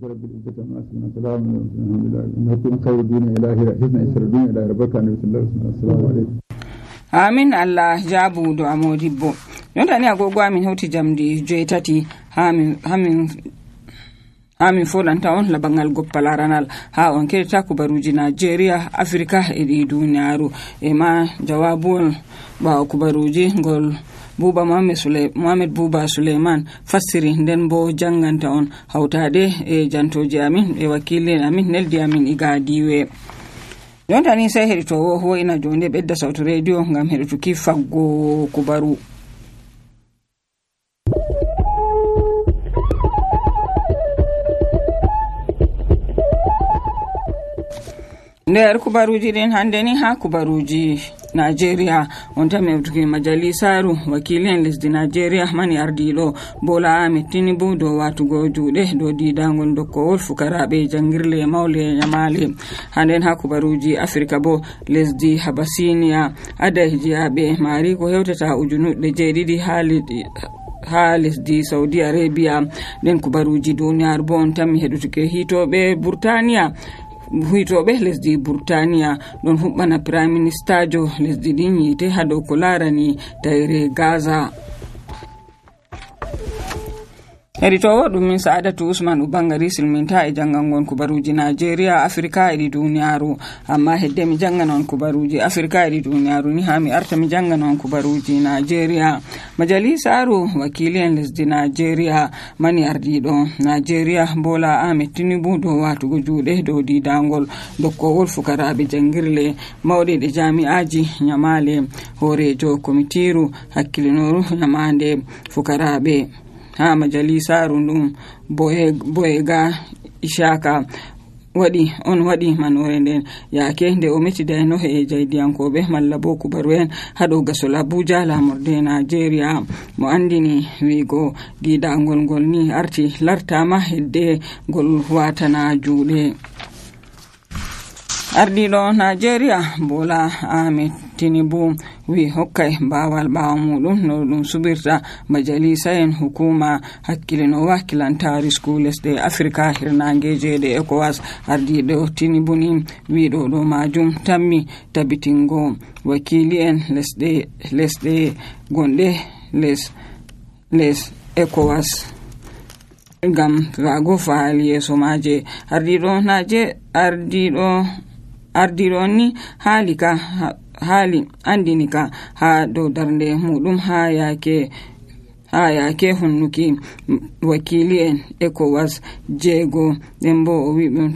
ربك رب العزة عما يصفون سلام على المرسلين الحمد لله إنكم خير الدين إلى آخرة حسن إسر الدين إلى ربك النبي صلى الله عليه وسلم السلام عليكم. Amin Allah jabu do amodibbo. Don tani agogo amin hauti jamdi joetati hamin folanta on labangal goppalaranal ha on kedita kubaruji Nigeria Africa e duniyaru e ma jawabul ba kubaruji ngol Buba Mohamed Buba Suleiman fassiri nden bo janganta on hautade e jantoji amin e wakilin amin neldi amin igadiwe. Don tani sai heditowo ho ina jonde bedda sautu radio ngam hedituki faggo kubaru. nder kubaruji den hande ni ha kubaruji Nigeria on tamewtuki majalisaru wakilen lesdi Nigeria mani ardido Bola Ahmed Tinubu do watugo juude do didangol dokkowol fukarabe jangirle mawle nyamale. Handen ha kubaruji Africa bo lesdi Habasinia ada hijabe mari ko hewtata ujunude jeedidi ha lesdi Saudi Arabia. Den kubaruji duniyar bon tammi hedutuke hitobe Burtaniya huitoɓe lesdi Burtaniya ɗon huɓɓana prime minister jo lesdi ɗin yite ha dow ko larani tayre Gaza. Editowo ɗum min Sa'adatu Usman Ubangari silminta e jangangon kubaruji Nigeria Africa e duniyaru amma hedde mi janganon kubaruji Africa e duniyaru ni ha mi arta mi janganon kubaruji Nigeria. Majalisaru wakilen lesdi Nigeria mani ardiɗo Nigeria Bola Ahmed Tinubu do watugo juuɗe dow didangol dokkowol fukaraɓe jangirle mawɗe ɗe jami'aji nyamale horejo komitiru hakkilinoru nyamande fukaraɓe ha majalisaru ndum Boyega Ishaka wadi manore nden yake nde o metida no e jaydiyankobe malla bo kubaru en hado gasol Abuja lamorde Nigeria mo andini wigo didangol ngol ni arti lartama hedde gol watana juude. Ardiɗo Nigeria Bola Ahmed Tinubu wi hokkay bawal ɓawo muɗum no ɗum subirta majalisa en hukuma hakkilino wakkilanta risku lesɗe Africa hirnangeje ɗe ECOWAS. Ardiɗo Tinubu ni wiɗo ɗo majum tammi tabitingo wakili en lesɗe gonɗe les ECOWAS ngam rago faali yeso maje. Ardiɗo ni haali andinika ha dow darnde muɗum ha yake hunnuki wakili en ECOWAS jego nden bo o wi ɗum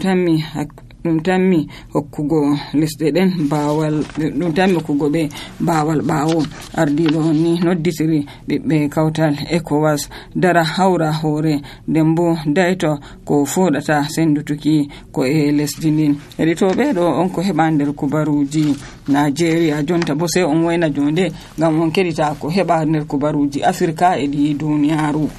tammi hokkugo lesɗe ɗen ɗum tammi hokkugo ɓe bawal ɓawo. Ardiɗo ni nodditiri ɓiɓɓe kawtal ECOWAS dara hawra hoore nden bo dayto ko foɗata sendutuki ko e lesdi ndin. Editoɓe ɗo on ko heɓa nder kubaruji Nigeria jonta bo sai on wayna jonde ngam on kedita ko heɓa nder kubaruji Africa e ɗi duniyaru.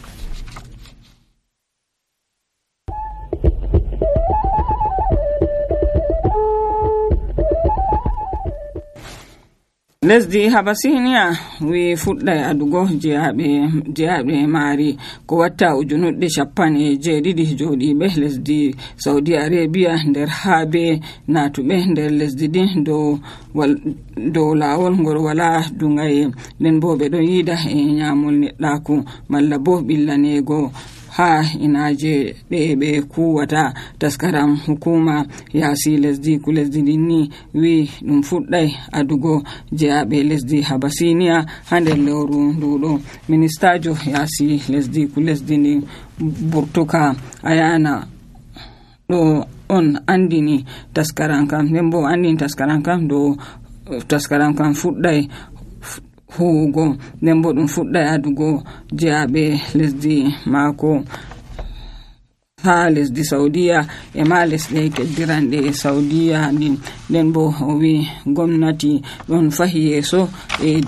lesdi Habasinia wi fuɗɗay adugo jeyaɓe maari ko watta ujunuɗɗe 17 joɗiɓe lesdi Saudi Arabia nder haabe natuɓe nder lesdi ɗin dow lawol ngol wala dungaye nden bo ɓe ɗo yiida e nyamol neɗɗaku malla bo ɓillanego ha inaje ɓe kuwata. Taskaram hukuma yasi lesdi dinni wi ɗum fuɗɗay adugo jeyaɓe lesdi Habasinia ha nder lewru nduɗo. Ministajo yasi lesdi ni Burtuka Ayana ɗo on andini taskaram kam nden bo andini taskaram kam fuɗɗay huugo nden bo ɗum fuɗɗay adugo jeyaɓe lesdi maako ha lesdi Saudiya e ma lesɗe keddiranɗe Saudiya ɗin. Nden bo o wi gomnati ɗon fahi yeso e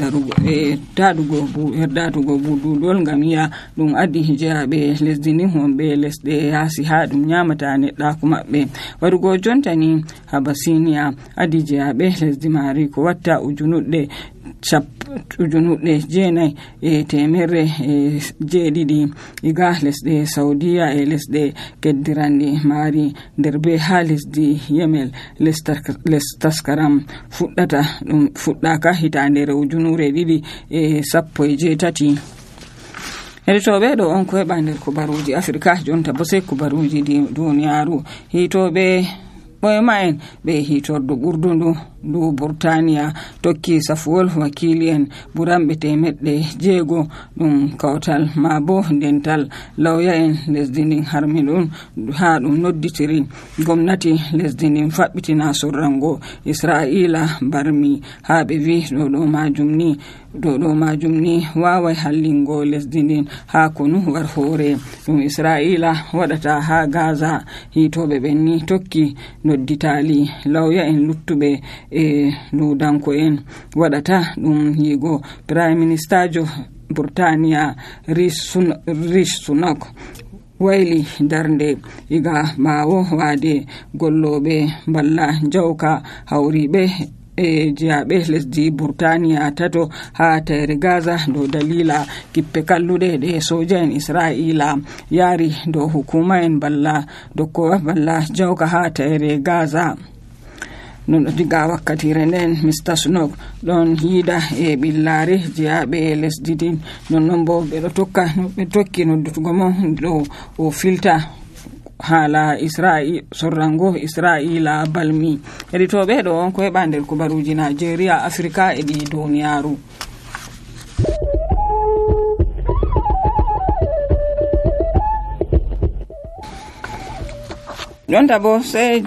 datugo bududol ngam yi'a ɗum addi jeyaɓe lesdi ni wonɓe lesɗe yasi ha ɗum nyamata neɗɗaku maɓɓe. Warugo jontani Habasinia addi jeyaɓe lesdi maari ko watta ujunuɗɗe ujunuɗɗe 9,700 iga lesɗe saudiya e lesɗe keddiranɗe maari nder be ha lesdi yemel les taskaram fuɗɗaka hitande 2018. Heɗitoɓe ɗo on ko heɓa nder kubaruji Afrika jonta bo sei kubaruji duniyaru. Hitoɓe ɓoyma en ɓe hitordu ɓurdudu ndu Burtaniya tokki safuwol wakili en ɓuranɓe 600 ɗum kawtal ma bo dental lawya en lesdi ndin harmi ɗum ha ɗum nodditiri gomnati lesdi ndin faɓɓitina sorrango Israila barmi ha ɓe wi ɗo majum ni wawai hallingo lesdi ndin ha konu war hore ɗum Israila waɗata ha Gaza. Hitoɓe ɓen ni tokki nodditali lawya en luttuɓe e ludanko en waɗata ɗum yigo Prime Minister jo Burtaniya Rishi Sunak wayli darnde iga ɓawo wade golloɓe balla jawka hawriɓe e jiyaɓe lesdi Burtaniya tato ha tayre Gaza do dalila kippe kalluɗe ɗe soja en Israila yari do hukuma en balla dokkowa balla jawka ha tayre Gaza. Non diga wakkatire nden Mr. Sunak ɗon yiida e ɓillare jiyaɓe lesdi din non bo ɓe tokki noddutugo mo ɗo o filta hala sorrango Israila balmi. Heɗitoɓe ɗo on ko heɓa nder kubaruji Nigeria, Afrika e ɗi duniyaru. Jonta bo sei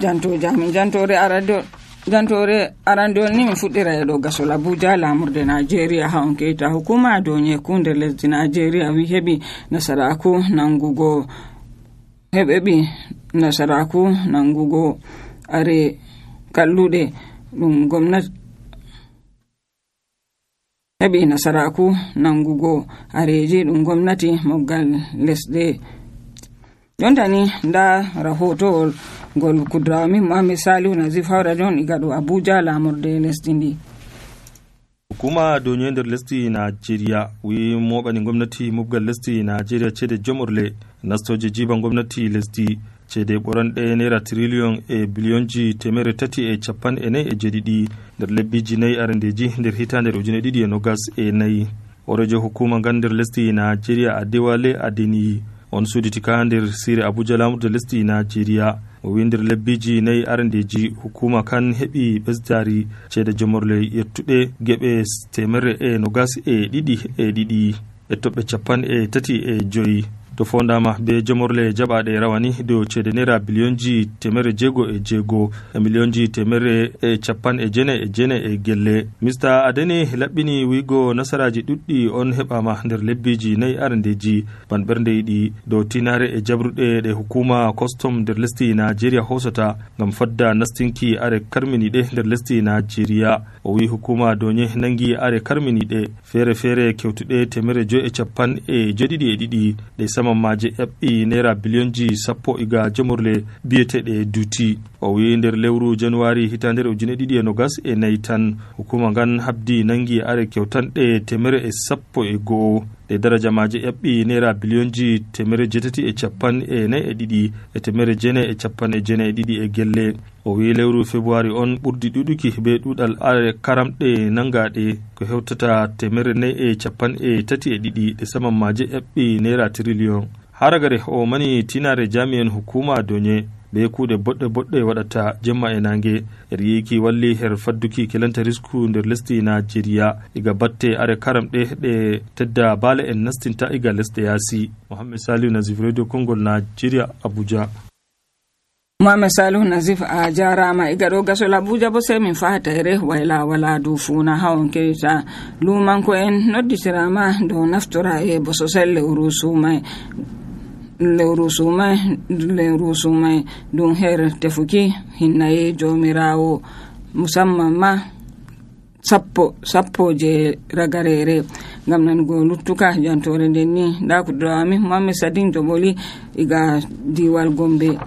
jantore arandol ni mi fuɗɗira e ɗo gasol Abuja lamurde Nigeria ha on keita hukuma donye kunde lesdi Nigeria wi heɓi nasaraku nangugo are kalluɗe ɗum gomnati heɓi nasaraku nangugo areji ɗum gomnati moggal lesɗe. Jontani nda rahotowol gol kudrami Muhammad Salihu Nazif hawra jon igado Abuja lamurde lesdi ndi. Hukuma donye nder lesdi Nigeria wi moɓani gomnati mobgal lesdi Nigeria cede jomorle nastoje jiba gomnati lesdi cede ɓoranɗe naira trillion e bilionji 347 nder lebbiji 4 arandeji nder hitande 2024. Orejo hukuma ngan nder lesdi Nigeria Adewale Adeniyi on suditika nder sire Abuja lamurde lesdi Nigeria o wi nder lebbiji 4 arandeji hukuma kan heɓi ɓesdari cede jomorle yettuɗe geɓe 22 e toɓɓe 35 to fondama be jomorle jaɓaɗe rawani dow cede naira bilionji 606 e milionji 190 e gelle. Mr. Adeni laɓɓini wigo nasaraji ɗuɗɗi on heɓama nder lebbiiji 4 arandeji banɓernde yiɗi dow tinare e jabruɗe ɗe hukuma custom nder lesdi Nigeria hosata ngam fadda nastinki are karminiɗe nder lesdi Nigeria. O wi hukuma donye nangi are karminiɗe fere kewtuɗe 172 ɗe saman maje ƴaɓɓi naira bilionji 10 jomorle biyeteɗe duti. O wi nder lewru Januari hitande 2024 tan hukuma ngan habdi nangi are kewtanɗe 111 ɗe daraja maje ƴaɓɓi naira bilionji 842 e 992 e gelle. O wi lewru Februari on ɓurdi ɗuɗuki be ɗuɗal are karamɗe nangaɗe ko hewtata 432 ɗe saman maje ƴaɓɓi naira trillion. Haragare o mani tinare jami'en hukuma donye be kuuɗe boɗɗe waɗata jemma e nange yiki walli her fadduki kelanta risku nder lesdi Nigeria iga batte are karamɗe ɗe tedda bale en nastinta iga lesɗe yasi. Muhammad Salihu Nazif, Radio Kongol, Nigeria, Abuja. Muhammad Salihu Nazif a jarama iga ɗo gasol Abuja bo sai min fatayre wayla wala du funa hawon keita lumanko en nodditirama dow naftora e bososel lewru sumai ɗum her tefuki hinnaye jomirawo musamman ma sappo je ragarere ngam nanugo luttuka jantore nden ni nda ko drawami Muhammad Sadin Joboli iga diwal Gombe.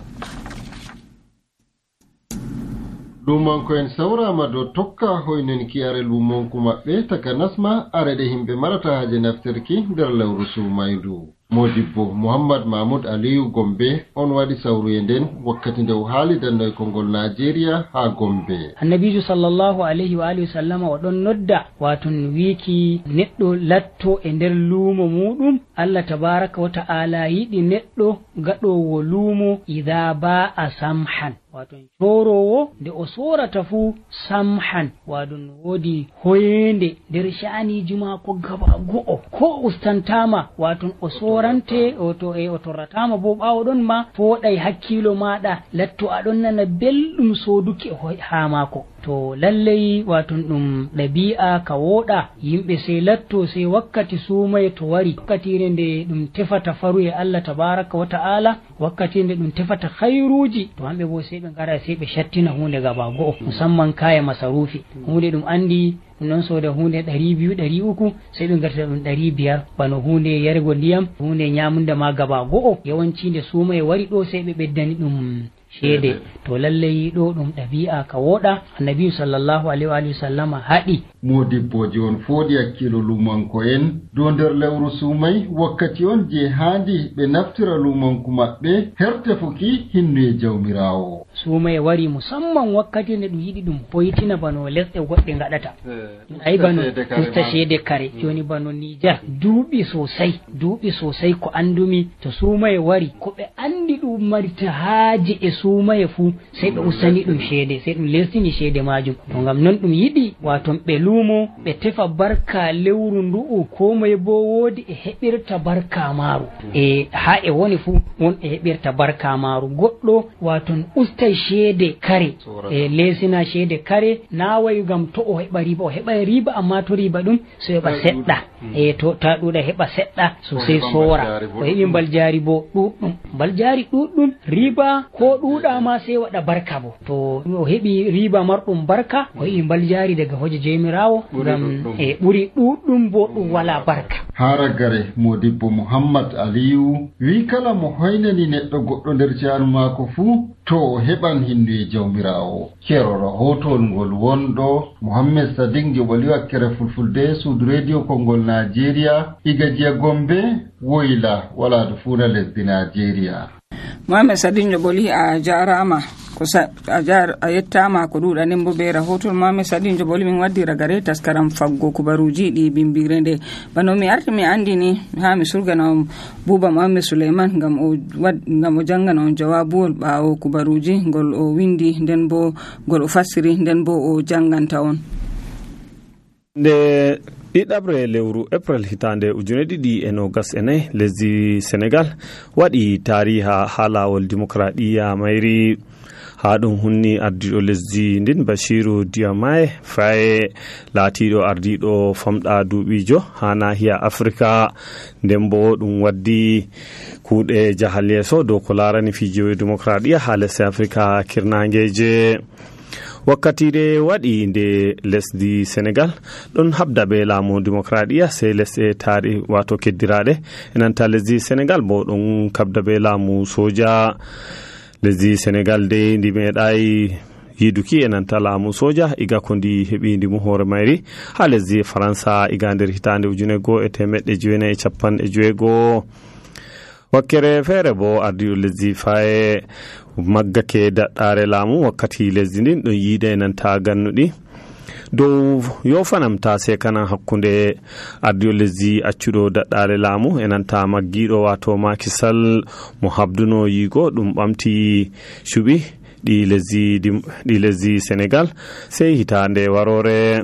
lumanko'en sawrama dow tokka hoynenki are lumonku maɓɓe takanasma arede himɓe marata haaje naftirki nder lewru sumaydu. Modibbo Muhammad Mahmud Aliyu Gombe on waɗi sawruye nden wakkati nde o haali dannoy kongol Najeriya haa Gombe. Annabijo sallallahu alaihi wa alihi sallama o ɗon nodda waton wiki neɗɗo latto e nder luumo muɗum. Allah tabaraka wa ta'ala yiɗi neɗɗo gaɗowo luumo idha ba'a samhan, waton corowo nde o sorata fuu samhan, waɗon wodi hoyende nder sha'aniji mako gaba go'o, ko ustantama waton o sorante o torratama bo ɓawo ɗon ma foɗai hakkilo maɗa latto aɗon nana belɗum soduki ha mako. To lallai waton ɗum ɗabi'a ka woɗa yimɓe sai latto sai wakkati sumai to wari, wakkatire nde ɗum tefata faru e Allah tabaraka wa ta'ala, wakkati nde ɗum tefata khairuji, to hamɓe bo sai ɓe ngara sai ɓe shattina hunde gaba go'o, musamman kaya masarufi, hunde ɗum andi non soda hunde 200 300 sai ɓe garta ɗum 500, bano hunde yargo ndiyam, hunde nyamunda ma gaba go'o. Yawanci nde sumai wari ɗo sai ɓe ɓeddani ɗum shede. To lallai ɗo ɗum ɗabi'a ka woɗa. Annabi sallallahu alaihi wa sallama haɗi modibboji on foodi hakkilo lumanko'en dow nder lewru sumai wakkati on je haandi ɓe naftira lumanku maɓɓe hertefuki hinnuye jawmirawo. Sumai wari musamman wakkati nde ɗum yiɗi ɗum hoytina bano lesɗe goɗɗe gaɗata, ayi bano usta shede kare. Joni bano Nijar duuɓi sosai ko andumi to sumai wari ko ɓe andi ɗum marita haaje e sumai fu sai ɓe ustani ɗum shede, sai ɗum lesini shede majum. To ngam non ɗum yiɗi waton ɓe lumo ɓe tefa barka lewru ndu'u, ko moye bo woodi e heɓirta barka maru e ha e woni fu won e heɓirta barka maru. Goɗɗo waton ustai shede kare e lesina shede kare na wayu gam to o heɓa riba, o heɓa riba amma to riba ɗum so heɓa seɗɗa e to ta ɗuɗa heɓa seɗɗa sosai sora. O heɓi baljari bo ɗuɗɗum, baljari ɗuɗɗum riba ko ɗuɗa ma sai waɗa barka bo. To o heɓi riba marɗum barka, o heɓi baljari daga hoje jemirawo ngam e ɓuri ɗuɗɗum bo ɗum wala barka. Haragare Modibbo Muhammad Aliyu wi kala mo hoynani neɗɗo goɗɗo nder jaaru maako fuu to o heɓan hinduye jawmirawo. Kerora hotol ngol wonɗo Muhammad Sadiq Joboli wakkere Fulfulde suudu radio Kongol Najeriya Igajiya Gombe woyla walado fuuna lesdi Najeriya. Muhammad Sadiq Joboli a jarama a yettama ko ɗuɗa nden bo be rahoto Muhammad Sadiq Joboli min waddi ragare taskaram faggo kubaruji ɗi bimbire nde bano mi arti mi andini ha mi surgana Buba Muhammad Suleiman ngam o jangana on jawabuwol ɓawo kubaruji ngol o windi nden bo ngol o fassiri nden bo o janganta on. Nde ɗiɗaɓre lewru April hitande 2024 lesdi Senegal waɗi tariha ha lawol dimokraɗiya mayri ha ɗum hunni ardiɗo lesdi ndin Bashiru Diomaye Faye laatiɗo ardiɗo famɗa duuɓijo ha nahiya Afrika, nden bo ɗum waddi kuuɗe jahal yeeso dow ko larani fijowe dimokraɗiya ha lesdi Afrika kirnagueje. Wakkatire waɗi nde lesdi Senegal ɗon habda be laamu dimokraɗiya sey lesɗe tari wato keddiraɗe enanta lesdi Senegal bo ɗon kabda be laamu soja. Lesdi Senegal de ndi meeɗayi yiduki enanta laamu soja iga ko ndi heɓi ndimu hoore mayri ha lesdi Faransa iga nder hitande 1950. Wakkere feere bo ardiɗo lesdi Faye maggake daɗɗare laamu wakkati lesdi ndin ɗon yiide enanta gannuɗi dow yofanamta sekana hakkunde ardiɗo lesdi accuɗo daɗɗare laamu enanta maggiɗo wato Macky Sall mo habduno yigo ɗum ɓamti cuɓi ɗi lesdi Senegal sey hitande warore.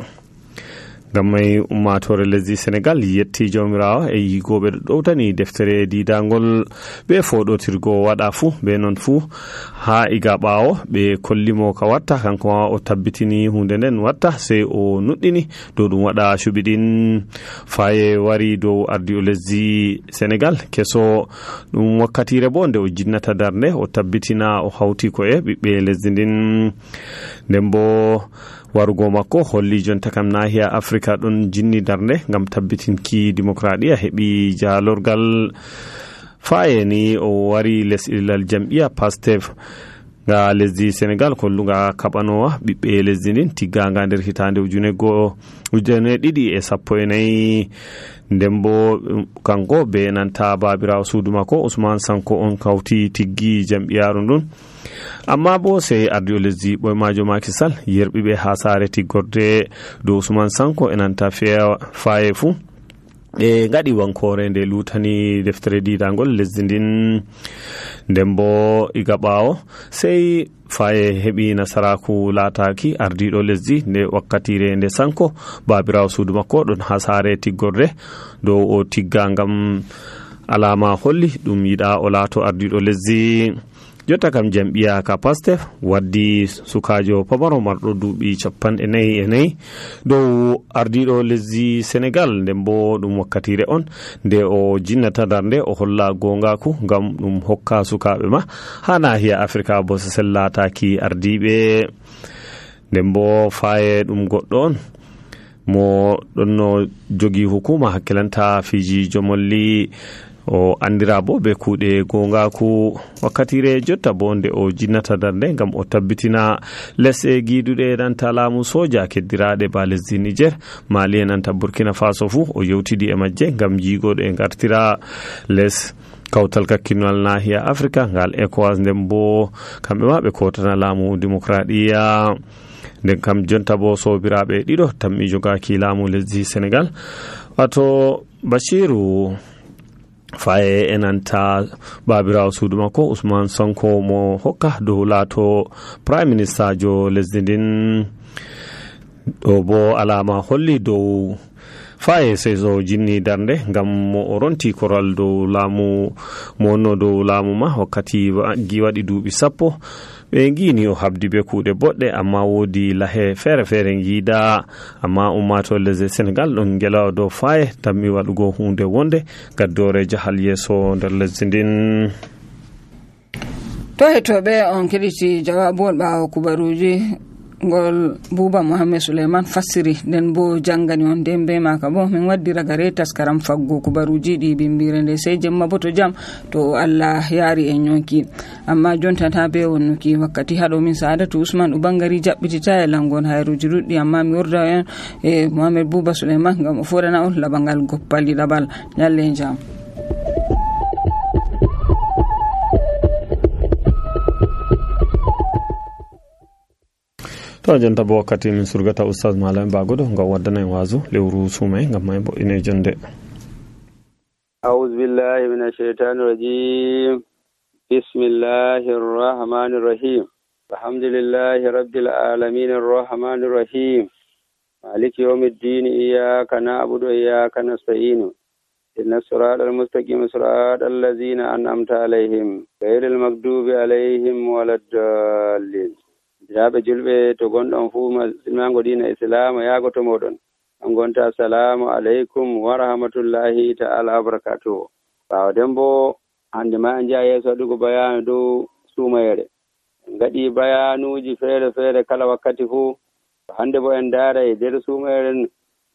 Ngam may ummatore lesdi Senegal yetti jawmirawo e yigoɓe ɗo ɗowtani deftere didangol ɓe foɗotirgo waɗa fuu be non fuu ha iga ɓawo ɓe kollimo ka watta kanko ma o tabbitini hunde nden watta sey o nuɗɗini dow ɗum waɗa cuɓi ɗin. Faye wari dow ardiɗo lesdi Senegal keso ɗum wakkatire bo nde o jinnata darnde o tabbitina o hawti ko e ɓiɓɓe lesdi ndin. Nden bo warugo makko holli jonta kam nahiya Afrika ɗon jinni darnde ngam tabbitinki dimokraɗiya heɓi jalorgal. Faye ni o wari lesɗilal jam'iya Pastef nga lesdi Sénégal kolluga kaɓanowa ɓiɓɓe lesdi ndin tiggaga nder hitande 2014 nden bo kanko be nanta babirawo suudu makko Ousmane Sanko on kawti tiggi jam'iyaru ndun. Amma bo sey ardiɗo lesdi ɓoymajo Macky Sall yerɓiɓe ha saare tiggorde dow Ousmane Sanko enanta faye fuu ɓe gaɗi wankore nde lutani deftere didangol lesdi ndin. Nden bo iga ɓawo sey faye heɓi nasaraku lataki ardiɗo lesdi nde wakkatire nde Sanko babirawo suudu makko ɗon ha saare tiggorde dow o tigga ngam alama holli ɗum yiɗa o laato ardiɗo lesdi. Jotta kam jam'iya ka Pastef waddi sukajo pamaro marɗo duuɓi 44 dow ardiɗo lesdi Sénégal. Nden bo ɗum wakkatire on nde o jinnata darnde o holla gongaku ngam ɗum hokka sukaɓe ma ha nahiya Afrika bo sellataki ardiɓe. Nden bo faye ɗum goɗɗo on mo ɗonno jogi hukuma hakkilanta fiji jomolli o andira bo be kuuɗe gongaku. Wakkatire jotta bo nde o jinnata darnde ngam o tabbitina lesɗe giiduɗe nanta laamu soja keddiraɗe ba lesdi Niger, Mali e nanta Burkina Faso fuu o yewtidi e majje ngam jiigoɗo e gartira les kawtal kakkinol nahiya Afrika ngal ECOWAS. Nden bo kamɓe ma ɓe kotana laamu dimokraɗiya. Nden kam jonta bo sobiraɓe ɗiɗo tammi jogaki laamu lesdi Sénégal, wato Bachiru faye enanta babirawo suudu makko Ousmane Sonko mo hokka dow laato prime minister jo lesdi ndin. Ɗo bo alama holli dow faye seyso jinni darnde ngam mo ronti koral dow laamu mo wonno dow laamu ma wakkati waɗi duuɓi 10 ɓe gini o habdi be kuuɗe boɗɗe, amma woodi lahe feere feere giida. Amma ummato lesdi Sénégal ɗon gelawa dow faye tammi waɗugo hunde wonde gaddore jahal yeeso nder lesdi ndin. To hetoɓe on keɗiti jawabol ɓawo kubaruji ngol Buuba Mohammed Suleiman fassiri nden bo jangani on dembe maka bo min waddi ragare taskaram faggo kubaruji ɗi bimbire nde sey jemma bo to jam to Allah yaari en yonki. Amma jontan ha be wonnuki wakkati haɗo min Saadatu Usman Ubangari jaɓɓitita e langon hayruji ɗuɗɗi, amma mi worda en e Mohammed Buuba Suleiman ngam o fodana on labangal goppali ɗaɓal. Nyalle jam. to jonta bo wakkati min surgata oustaz Malam Bagodo ngam waddana en wazu lewru sumay ngam may bo ine jonde. أعوذ بالله من الشيطان الرجيم بسم الله الرحمن الرحيم الحمد لله رب العالمين الرحمن الرحيم مالك يوم الدين إياك نعبد وإياك نستعين إن الصراط المستقيم صراط الذين أنعمت عليهم غير المغضوب عليهم ولا الضالين. jaaɓe julɓe to gonɗon fuu silmango dina islam yaagoto moɗon on gonta assalamu aleykum wa rahmatullahi ta'ala wa barakatuhu. ɓaawo den bo hande ma en jaa yeeso waɗugo bayanu dow sumayere. en gaɗi bayanuji feere feere kala wakkati fuu. hande bo en daara e nder sumayere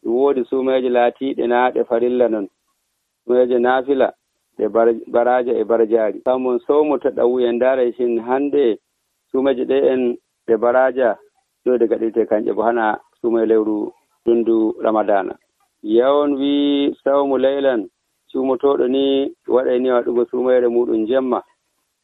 woodi sumayeje laatiɗe naaɗe farilla non, sumayeje naafila ɗe baraja e barjaari. kamon sowmo to ɗawu en daara sin hande sumayeje ɗe en ɓe baraja ɗo de gaɗirte kanƴe bo hana sumay lewru dundu ramadana. yawon wi sawmu laylan sumotoɗo ni waɗay ni waɗugo sumayre muɗum jemma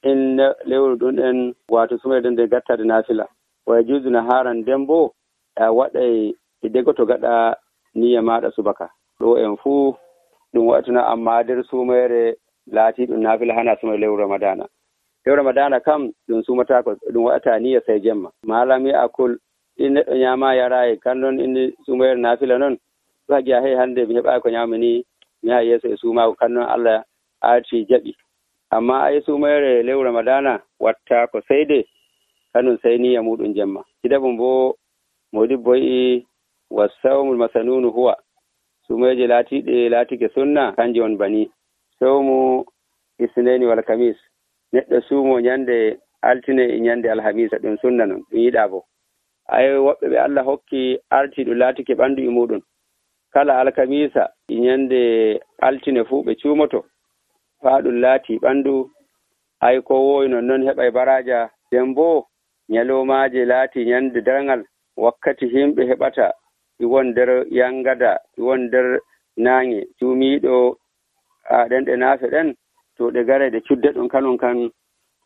in lewru ɗum en wato sumayre nde gattade nafila way jusuna haran nden bo a waɗay e dego to gaɗa niya maɗa subaka ɗo en fuu ɗum waɗatuna amma nder sumayre laati ɗum nafila hana sumay lewru ramadana. lewru ramadana kam ɗum sumatako ɗum waɗata niya sey jemma malami akul ɗin neɗɗo ñama yarayi kan noon inni sumayre nafila noon hagi a hey hande mi heɓayi ko ñama ni mi ha yeeso e sumako kan noon Allah arti jaɓi. amma ay sumayre lewru ramadana watta ko seyde kanum sey niya muɗum jemma. hiɗaɓum bo modibbo yi wa sawmul masanunu huwa sumayje laatike sunna kanji on bani sawmu isneni wal kamis neɗɗo suumo ñande altine e ñande alhamisa ɗum sunna noon ɗum yiɗa bo. ay woɓɓe ɓe Allah hokki arti ɗum laatike ɓandu e muɗum kala alkamisa e ñande altine fuu ɓe cuumoto faa ɗum laati ɓandu ay ko woyno noon heɓa e baraja nden bo ñalowmaaje laati ñande darngal wakkati himɓe heɓata iwon nder yangada iwon nder naange tuumiiɗo ɗen ɗe naafe ɗen to ɗe gare ɗe cudda ɗum kanon kan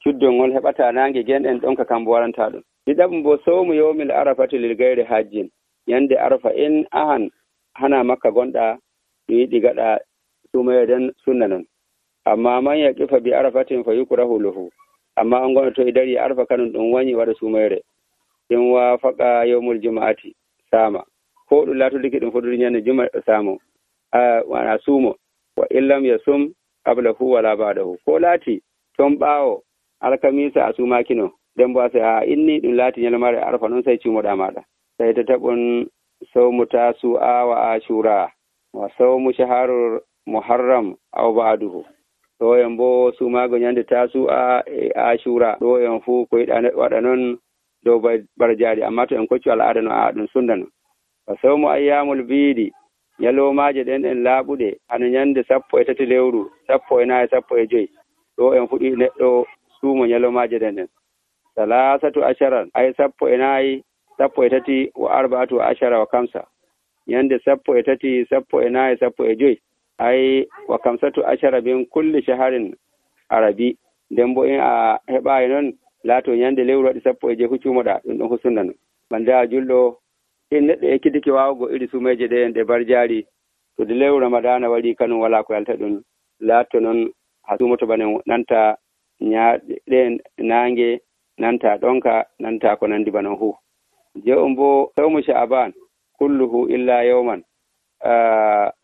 cuddol ngol heɓata naange genɗen ɗon ka kambo waranta ɗum. ɗiɗaɓum bo sawmu yawmil arafati lil gayri hajjin yande arafa en ahan hana makka gonɗa ɗum yiɗi gaɗa sumayeden sunna non amma man yaqifa bi arafatin fa yukrahu lahu amma on gonɗo to e dari arafa kanon ɗum wañi waɗa sumayre in wa faqa yawmul juma'ati sama ko ɗum laatudiki ɗum fotiri ñande juma samo wana suumo wa illam yasum qablahu wala ba'dahu ko laati ton ɓaawo alkamisa a sumakino nden bo asa a inni ɗum laati ñalawmaare arafa noon say cumoɗa maɗa tawi tataɓon sawmu tasu'a wa ashura wa sawmu shaharul muharram aw ba'duhu ɗo en bo sumago ñande tasu'a e ashura ɗo en fuu ko yiɗa neɗɗo waɗa noon dow barjaari amma to en koccu al'aada no a ɗum sunna no wa sawmu ayyamul biidi ñalowmaaje ɗen en laaɓuɗe hano ñande 13 lewru 14 15 ɗo en fuɗi neɗɗo suumo ñalowmaaje ɗen ɗen salasatu asharan ay 14 13 wa arba'atu ashara wa kamsa ñande 13 14 15 ay wa kamsatu ashara bin kulli shaharin arabi nden bo in a heɓayi noon laato ñande lewru waɗi 15 huccumoɗa ɗum ɗon husunna no bande a julɗo in neɗɗo ekkitiki waawugo iri sumeje ɗe en ɗe barjaari to de lewru ramadana waɗi kanum wala ko yalta ɗum laatto noon ha sumoto bane nanta ñaaɗe naange nanta ɗonka nanta ko nandi bana hu je on bo sawmu sha'ban kulluhu illa yawman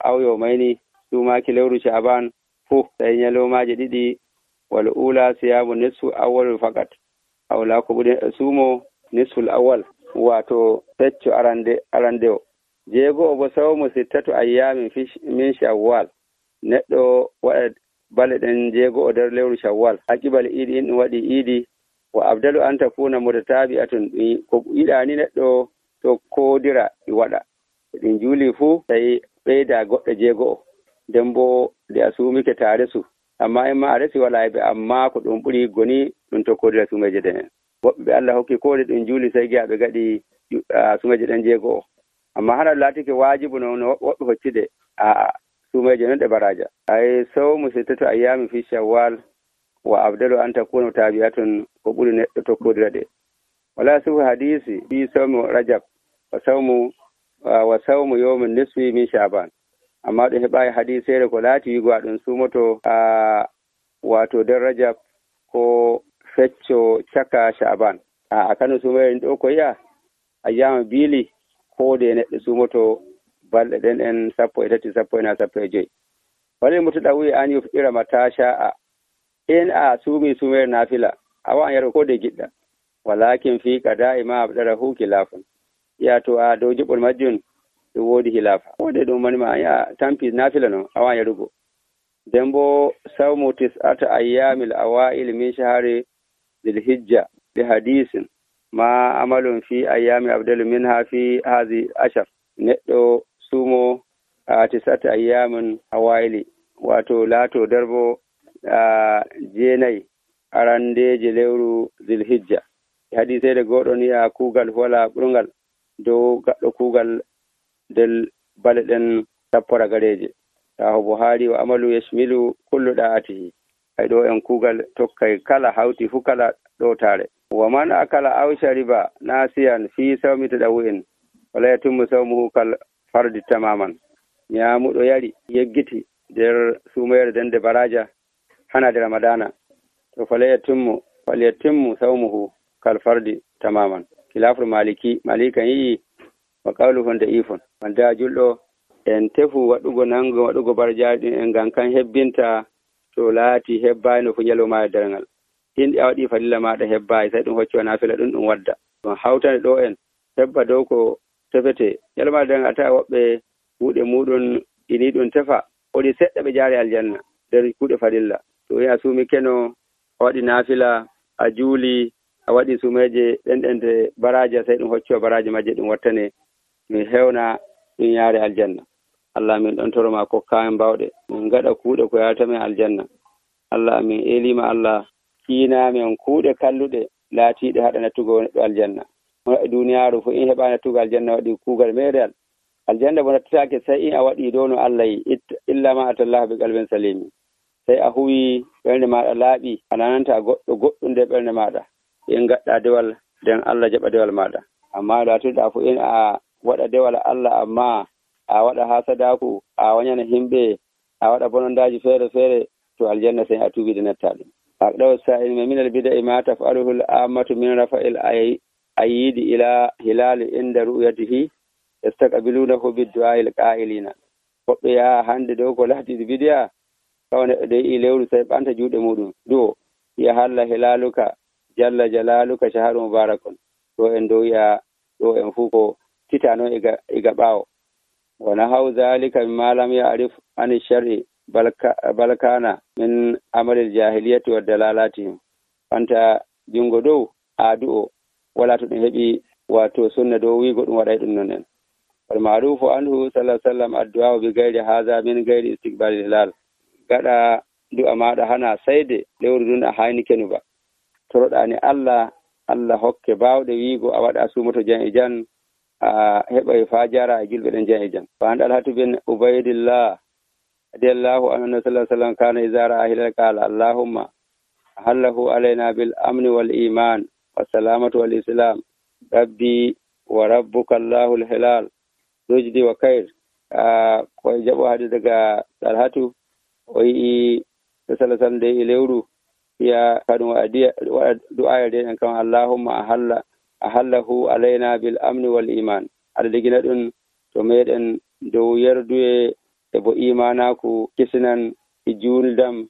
aw yawmayni sumaki lewru sha'ban fu tawi ñalowmaaje ɗiɗi wal ula siyamu nisfu awwal faqat awla ko ɓuri suumo nisful awwal wato fecco arande o jeego o bo sawmu 6 ayyamin min shawwal neɗɗo waɗa bale ɗen jeego o nder lewru shawwal haqqibal iidi in ɗum waɗi iidi wa abdalu an takuna mutatabi'atun ko yiɗani neɗɗo to kodira ɗi waɗa ɗin juuli fuu tawi ɓeyda goɗɗo jeego o nden bo nde a suumike ta resu amma en ma a resi wala ɓe amma ko ɗum ɓuri goni ɗum to kodira sumeje ɗen en woɓɓe ɓe Allah hokki koode ɗum juuli sey giyaɓe gaɗi sumeje ɗen jeego o amma hana laatike waajibu noon woɓɓe hoccide sumeje noon ɗe baraja ay sawmu 6 ayyamin fi shawwal wa abdalu an takuna tabi'atun ko ɓuri neɗɗo tokkodira ɗe wala suhu hadisi fi sawmu rajab wa sawmu yawmin nisfi min sha'ban amma ɗum heɓayi hadisere ko laati wigo ɗum sumoto wato nder rajab ko fecco caka sha'ban kano sumere ɗo ko yi'a ayyama biili ko de neɗɗo sumoto balɗe ɗen en 13 14 15 wala mutuɗa wi an yufɗira mata sha'a in a suumi sumere nafila awa an yaro ko de giɗɗa walakin fi qada'i ma abdara hu khilafun ya to a dow juɓɓol majjun ɗum woodi hilafa wode ɗum manima a tampi nafila no awa yarugo nden bo sawmu 9 ayyamil awa'il min shahri dhil hijja bi hadisin ma amalun fi ayyami abdalu minha fi hadhi ashar neɗɗo suumo 9 ayyamin awa'ili wato laato darbo jeenayi arandeje lewru dhil hijja hadisede goɗon yi'a kuugal wala ɓurgal dow gaɗɗo kuugal del bale ɗen sappora gareje taho Buhari wa amalu yashmilu kullu da'atihi ay ɗo en kuugal tokkay kala hawti fu kala ɗo tare wa man akala aw shariba nasiyan fi sawmi tadawu'in wala yatimmu sawmuhu kal fardi tamaman ñaamuɗo yari yeggiti nder sumayere dende baraja hana de ramadana to falyatimmu sawmuhu kal fardi tamaman khilaful malikan yi wa qawluhu da'ifun wanda julɗo en tefu waɗugo barjaɗi en ngam kan hebbinta to laati hebbayno fu ñalowma e darngal inɗi a waɗi falilla maɗa hebbayi sai ɗum hocci nafila ɗum wadda ɗum hawtane ɗo en hebba dow ko tefete ñalowma e darngal ata woɓɓe kuuɗe muɗum ini ɗum tefa oɗi seɗɗa ɓe jaari aljanna nder kuuɗe falilla to a suumi keno a waɗi nafila a juuli a waɗi sumeje ɗenɗente baraja sai ɗum hocci baraji majje ɗum wattane min hewna ɗum yaare aljanna Allah min ɗon toroma kokkamen bawɗe min gaɗa kuuɗe ko yarata men aljanna Allah min elima Allah kiinamen kuuɗe kalluɗe laatiɗe haɗa nattugo neɗɗo aljanna. Duniyaaru fo in heɓa nattugo aljanna waɗi kuugal meereal. Aljanna bo nattataake sai in a waɗi dow no Allah yi, illa ma atallahu bi qalbin salimi. Sai a huwi ɓernde maɗa laaɓi, a nananta goɗɗum nder ɓernde maɗa, in gaɗɗa dewal nden Allah jaɓa dewal maɗa. Amma laatuɗa fo in a waɗa dewal Allah amma a waɗa hasadaku, a wanyana himɓe, a waɗa bonondaji feere to aljanna sai a tuubi de natta ɗum. أقدر السائل من البدع ما تفعله العامة من رفع الأيدي إلى هلال عند رؤيته يستقبلونه بالدعاء القائلين. وقيا هند دوك لحتي البدع كون دي إليه سيب أنت جود مودون دو يا هل هلالك جل جلالك شهر مبارك دو إن دو يا دو إن فوكو تتانو إيغا ونحو ذلك مما لم يعرف عن الشرع بل كان من عمل الجاهلية والدلالاتهم. أنت جنغو دو آدو ولا تنهبي واتو سنة دو ويقود ورأيت النونين. والمعروف عنه صلى الله عليه وسلم الدعاء بغير هذا من غير استقبال الهلال. قد دو أماد هنا سيد لوردون أحاين كنوبا ترد أني الله حق باو دو ويقو أود أسومة جان هبا فاجارة يجيل بدن جان فأنت الهاتو بن عبيد الله رضي الله عنه صلى الله عليه وسلم كان إذا رأى هلال قال اللهم أحله علينا بالأمن والإيمان والسلامة والإسلام ربي وربك الله الهلال رجدي وخير ويجب هذا دقاء الهاتو وي صلى الله عليه وسلم دي إليورو يا كانوا دعاء دين كما اللهم أحله علينا بالأمن والإيمان على دقينا تمير دو يردو ebo imanaku kisinan ijuldam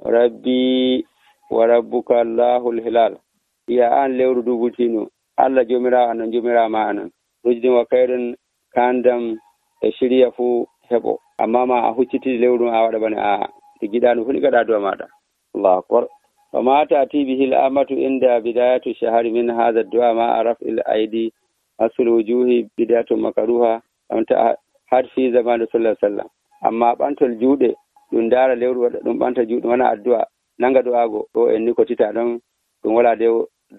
rabbi wa rabbuka allahul hilal ya an lewru dubutino Allah jomira anan jomira ma anan rujin wa khairun kandam e shiriya fu hebo amma ma a hucciti lewru a wada bane a gidanu fu ni gada do mada Allahu akbar wa ma ta'ti bihi al-amatu inda bidayatu shahri min hadha ad-du'a ma araf al-aidi asl wujuhi bidayatu makruha anta har fi zamanu sallallahu alaihi wasallam amma bantol juude dum dara lewru wada dum banta juude wana addu'a nanga du'ago do en ni ko tita don dum wala de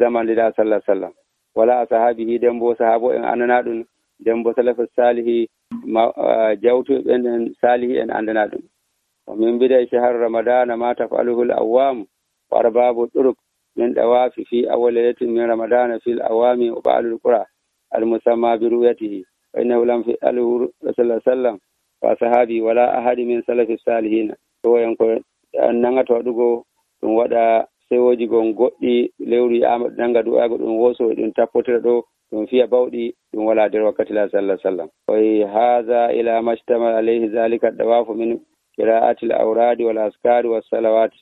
zamanu da sallallahu alaihi wasallam wala sahabihi dembo sahabo en anana dum dembo salafus salihi jawtu ben salihi en andana dum wa min bidai shahr ramadan ma taf'aluhu al-awwam wa arbabu turuq min dawafi fi awwalatin min ramadan fi al-awami wa ba'd al-qura al-musamma bi ru'yatihi وإنه لم يفعله رسول الله صلى الله عليه وسلم وصحابي ولا أحد من سلف الصالحين to yanko nanga to dugo dum wada sewoji gon goddi lewri amad nanga du'ago dum woso dum tappotira do dum fiya bawdi dum wala der wakati la sallallahu alaihi wasallam wa hadha ila mashtama alayhi zalika dawafu min qira'ati al-awrad wal azkar was salawat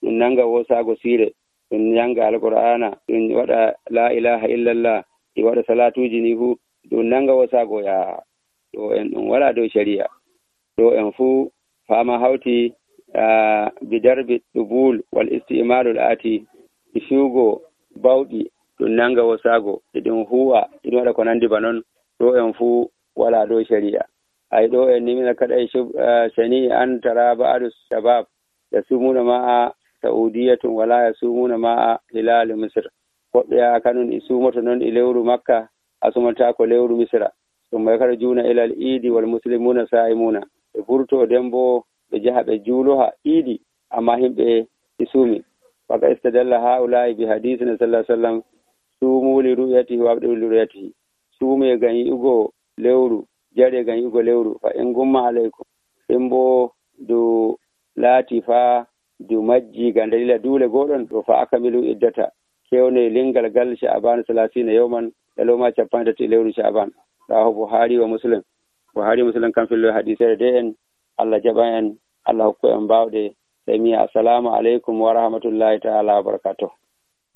nanga wosago sire dum nanga al-qur'ana dum wada la ilaha illa allah wada salatuji ni hu do nanga wasago ya do en dum wala do sharia do en fu fama hauti bidarbi dubul wal istimalul ati isugo bawdi do nanga wasago idin huwa idin wada ko nandi banon do en fu wala do sharia ay do en nimina kada shani an taraba adus shabab yasumuna ma saudiyatun wala yasumuna ma hilal misr ko ya kanun isumoto non ilewru makka asumata ko lewru misra dum may kala juna ila al-idi wal muslimuna sa'imuna e furto dembo be jahabe juloha idi amma himbe isumi waka istadalla haula bi hadithina sallallahu alaihi wasallam sumu li ru'yatihi wa abdu li ru'yatihi sumu ganyi ugo lewru jare ganyi ugo lewru fa in gumma alaikum dembo do latifa du majji ga dalila dule godon to fa akamilu iddata kewne lingal gal sha'ban 30 yawman daloma chapanda ti lewru sha'ban rahu buhari muslim kan fillo hadisere de en Allah jaba en Allah hokku en bawde sami assalamu alaikum wa rahmatullahi ta'ala wa barakatuh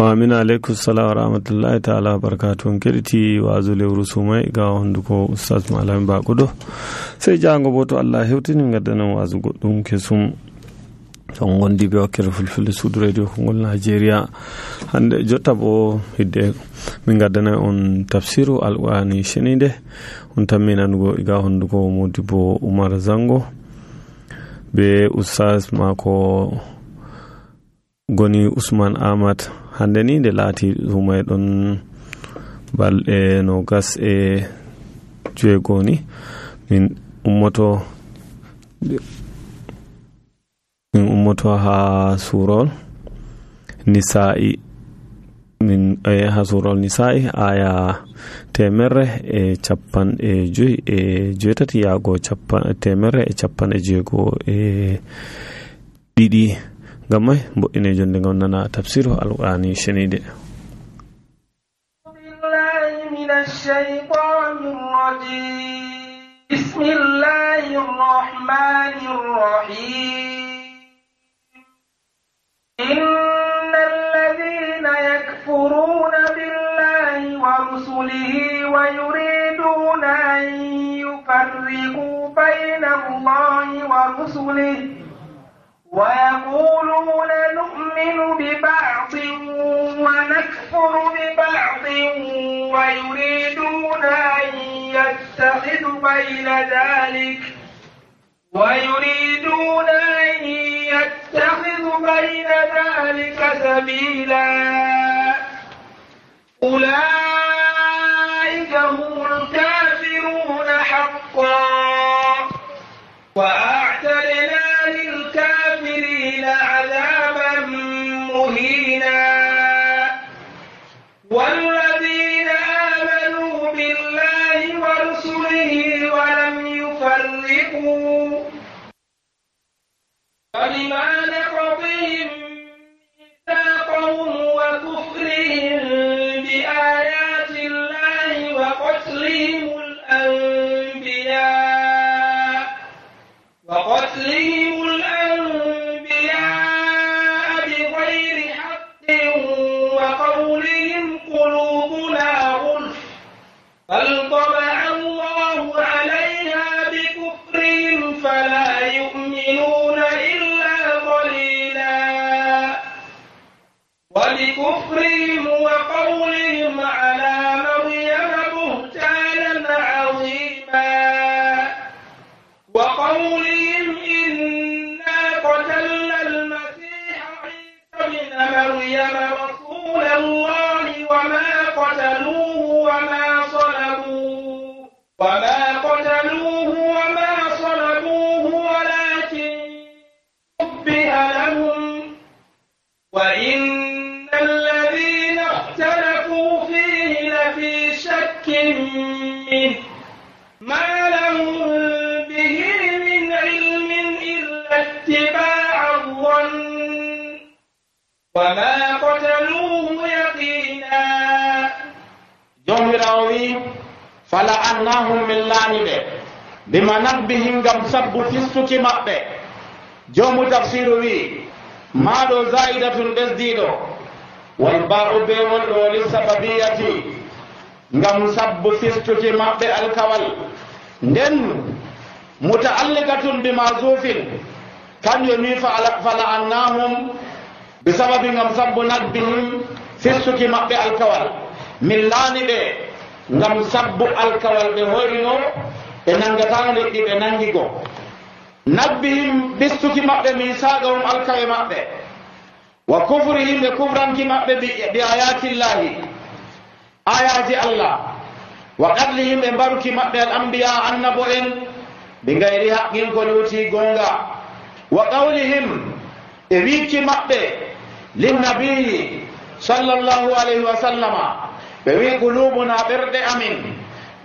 wa amin alaikum salam wa rahmatullahi ta'ala wa barakatuh kirti wazu lewru sumai ga honduko ustaz malam bakudo sai jango boto Allah hewtini ngadanan wazu goddum kesum on gondi be wakkere fulfulde suudu radio kongol Nigeria hande jotta bo hidde min gaddana on tafsiru al-Qur'ani shenide on tamminanugo iga hondugo modibo Umar Zango be ustaz mako goni Usman Ahmad hande ni nde laati humay ɗon balɗe 26 ni min ummoto ha surol nisa'i min ha surol nisa'i aya 157 yago 152 ngam may mbo'ine jonde ngam nana tafsiru alqur'ani shenide. بسم الله الرحمن الرحيم إن الذين يكفرون بالله ورسله ويريدون أن يفرقوا بين الله ورسله ويقولون نؤمن ببعض ونكفر ببعض ويريدون أن يتخذوا بين ذلك سبيلا أولئك هم الكافرون حقا وأعتدنا للكافرين عذابا مهينا والذين آمنوا بالله ورسله ولم يفرقوا فبما نقضهم ميثاقهم وكفرهم بآيات الله وقتلهم الأنبياء بغير حق وقولهم قلوبنا غلف بل طبع الله عليها بكفرهم فلا يؤمنون إلا قليلا وبكفرهم وقولهم على مريم بهتانا عظيما وقولهم إنا قتلنا المسيح عيسى ابن مريم رسول الله وما قتلوه وما صلبوه ولكن شبه لهم وإن الذين اختلفوا فيه لفي شك منه ما لهم به من علم إلا اتباع الظن وما قتلوه يقينا جمهراوي فلعناهم من لعنه بما نبهم غم سب فيستك مبه جوم تفسير وي ما دو زائدة بزديدو والباء بيول للسببية غم سب فيستك مبه الكوال nden muta'alliqatun bimazufin kan yumi fala'annahum bisababi ngam sabbu nabbihim fissuki mabbe alkawal min lani be ngam sabbu alkawal be hoyno be nangatande di be nangigo nabbihim bissuki mabbe misagawum alkawe mabbe wa kufrihim be kufranki mabbe bi ayati llahi ayati allah wa qadlihim be baruki mabbe al anbiya annabo'en be gayri haqqin ko luti gonga wa qawlihim e wiki mabbe lin nabiyyi sallallahu alaihi wa sallama be wi qulubuna berde amin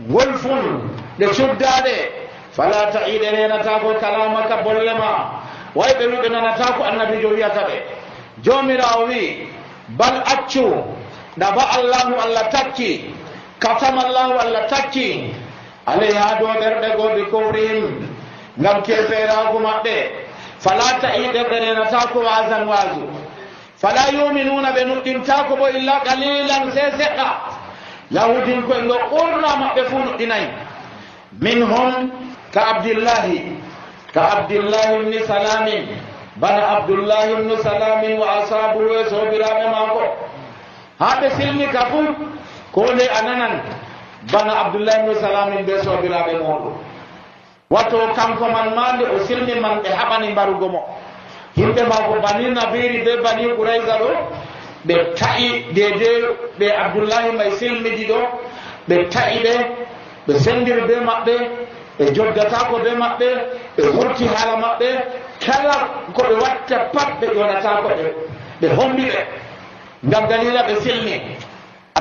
golfun de suddade fala ta'idene nata ko kalamaka bollema way be wi be nanata ko annabi jo wiyata be jomirawo wi bal accu daba allahu allah takki katama allahu allah takki alayha do berde go be kufrihim ngam keferaku mabbe fala ta'idene nata ko wazan wazu fala yu'minuna bi nuddintako bo illa qalilan seseka yahudin ko ngo qurna mabbe fu nuddinay minhum ka abdullahi ibn salam bana abdullahi ibn salam wa ashabu wa sobirabe mako habe silmi kafu ko le ananan bana abdullahi ibn salam be sobirabe mako wato kanko man mande o silmi man be habani barugo mo himbe mako bani nabiri be bani quraiza do ɓe ta'i dede ɓe abdoullahi may silmidi ɗo ɓe ta'i ɓe sendiri be maɓɓe ɓe joddatako be maɓɓe ɓe hurti haala maɓɓe kala ko ɓe watta pat ɓe ƴonatako ɓe hombi ɓe ngam dalila ɓe silmi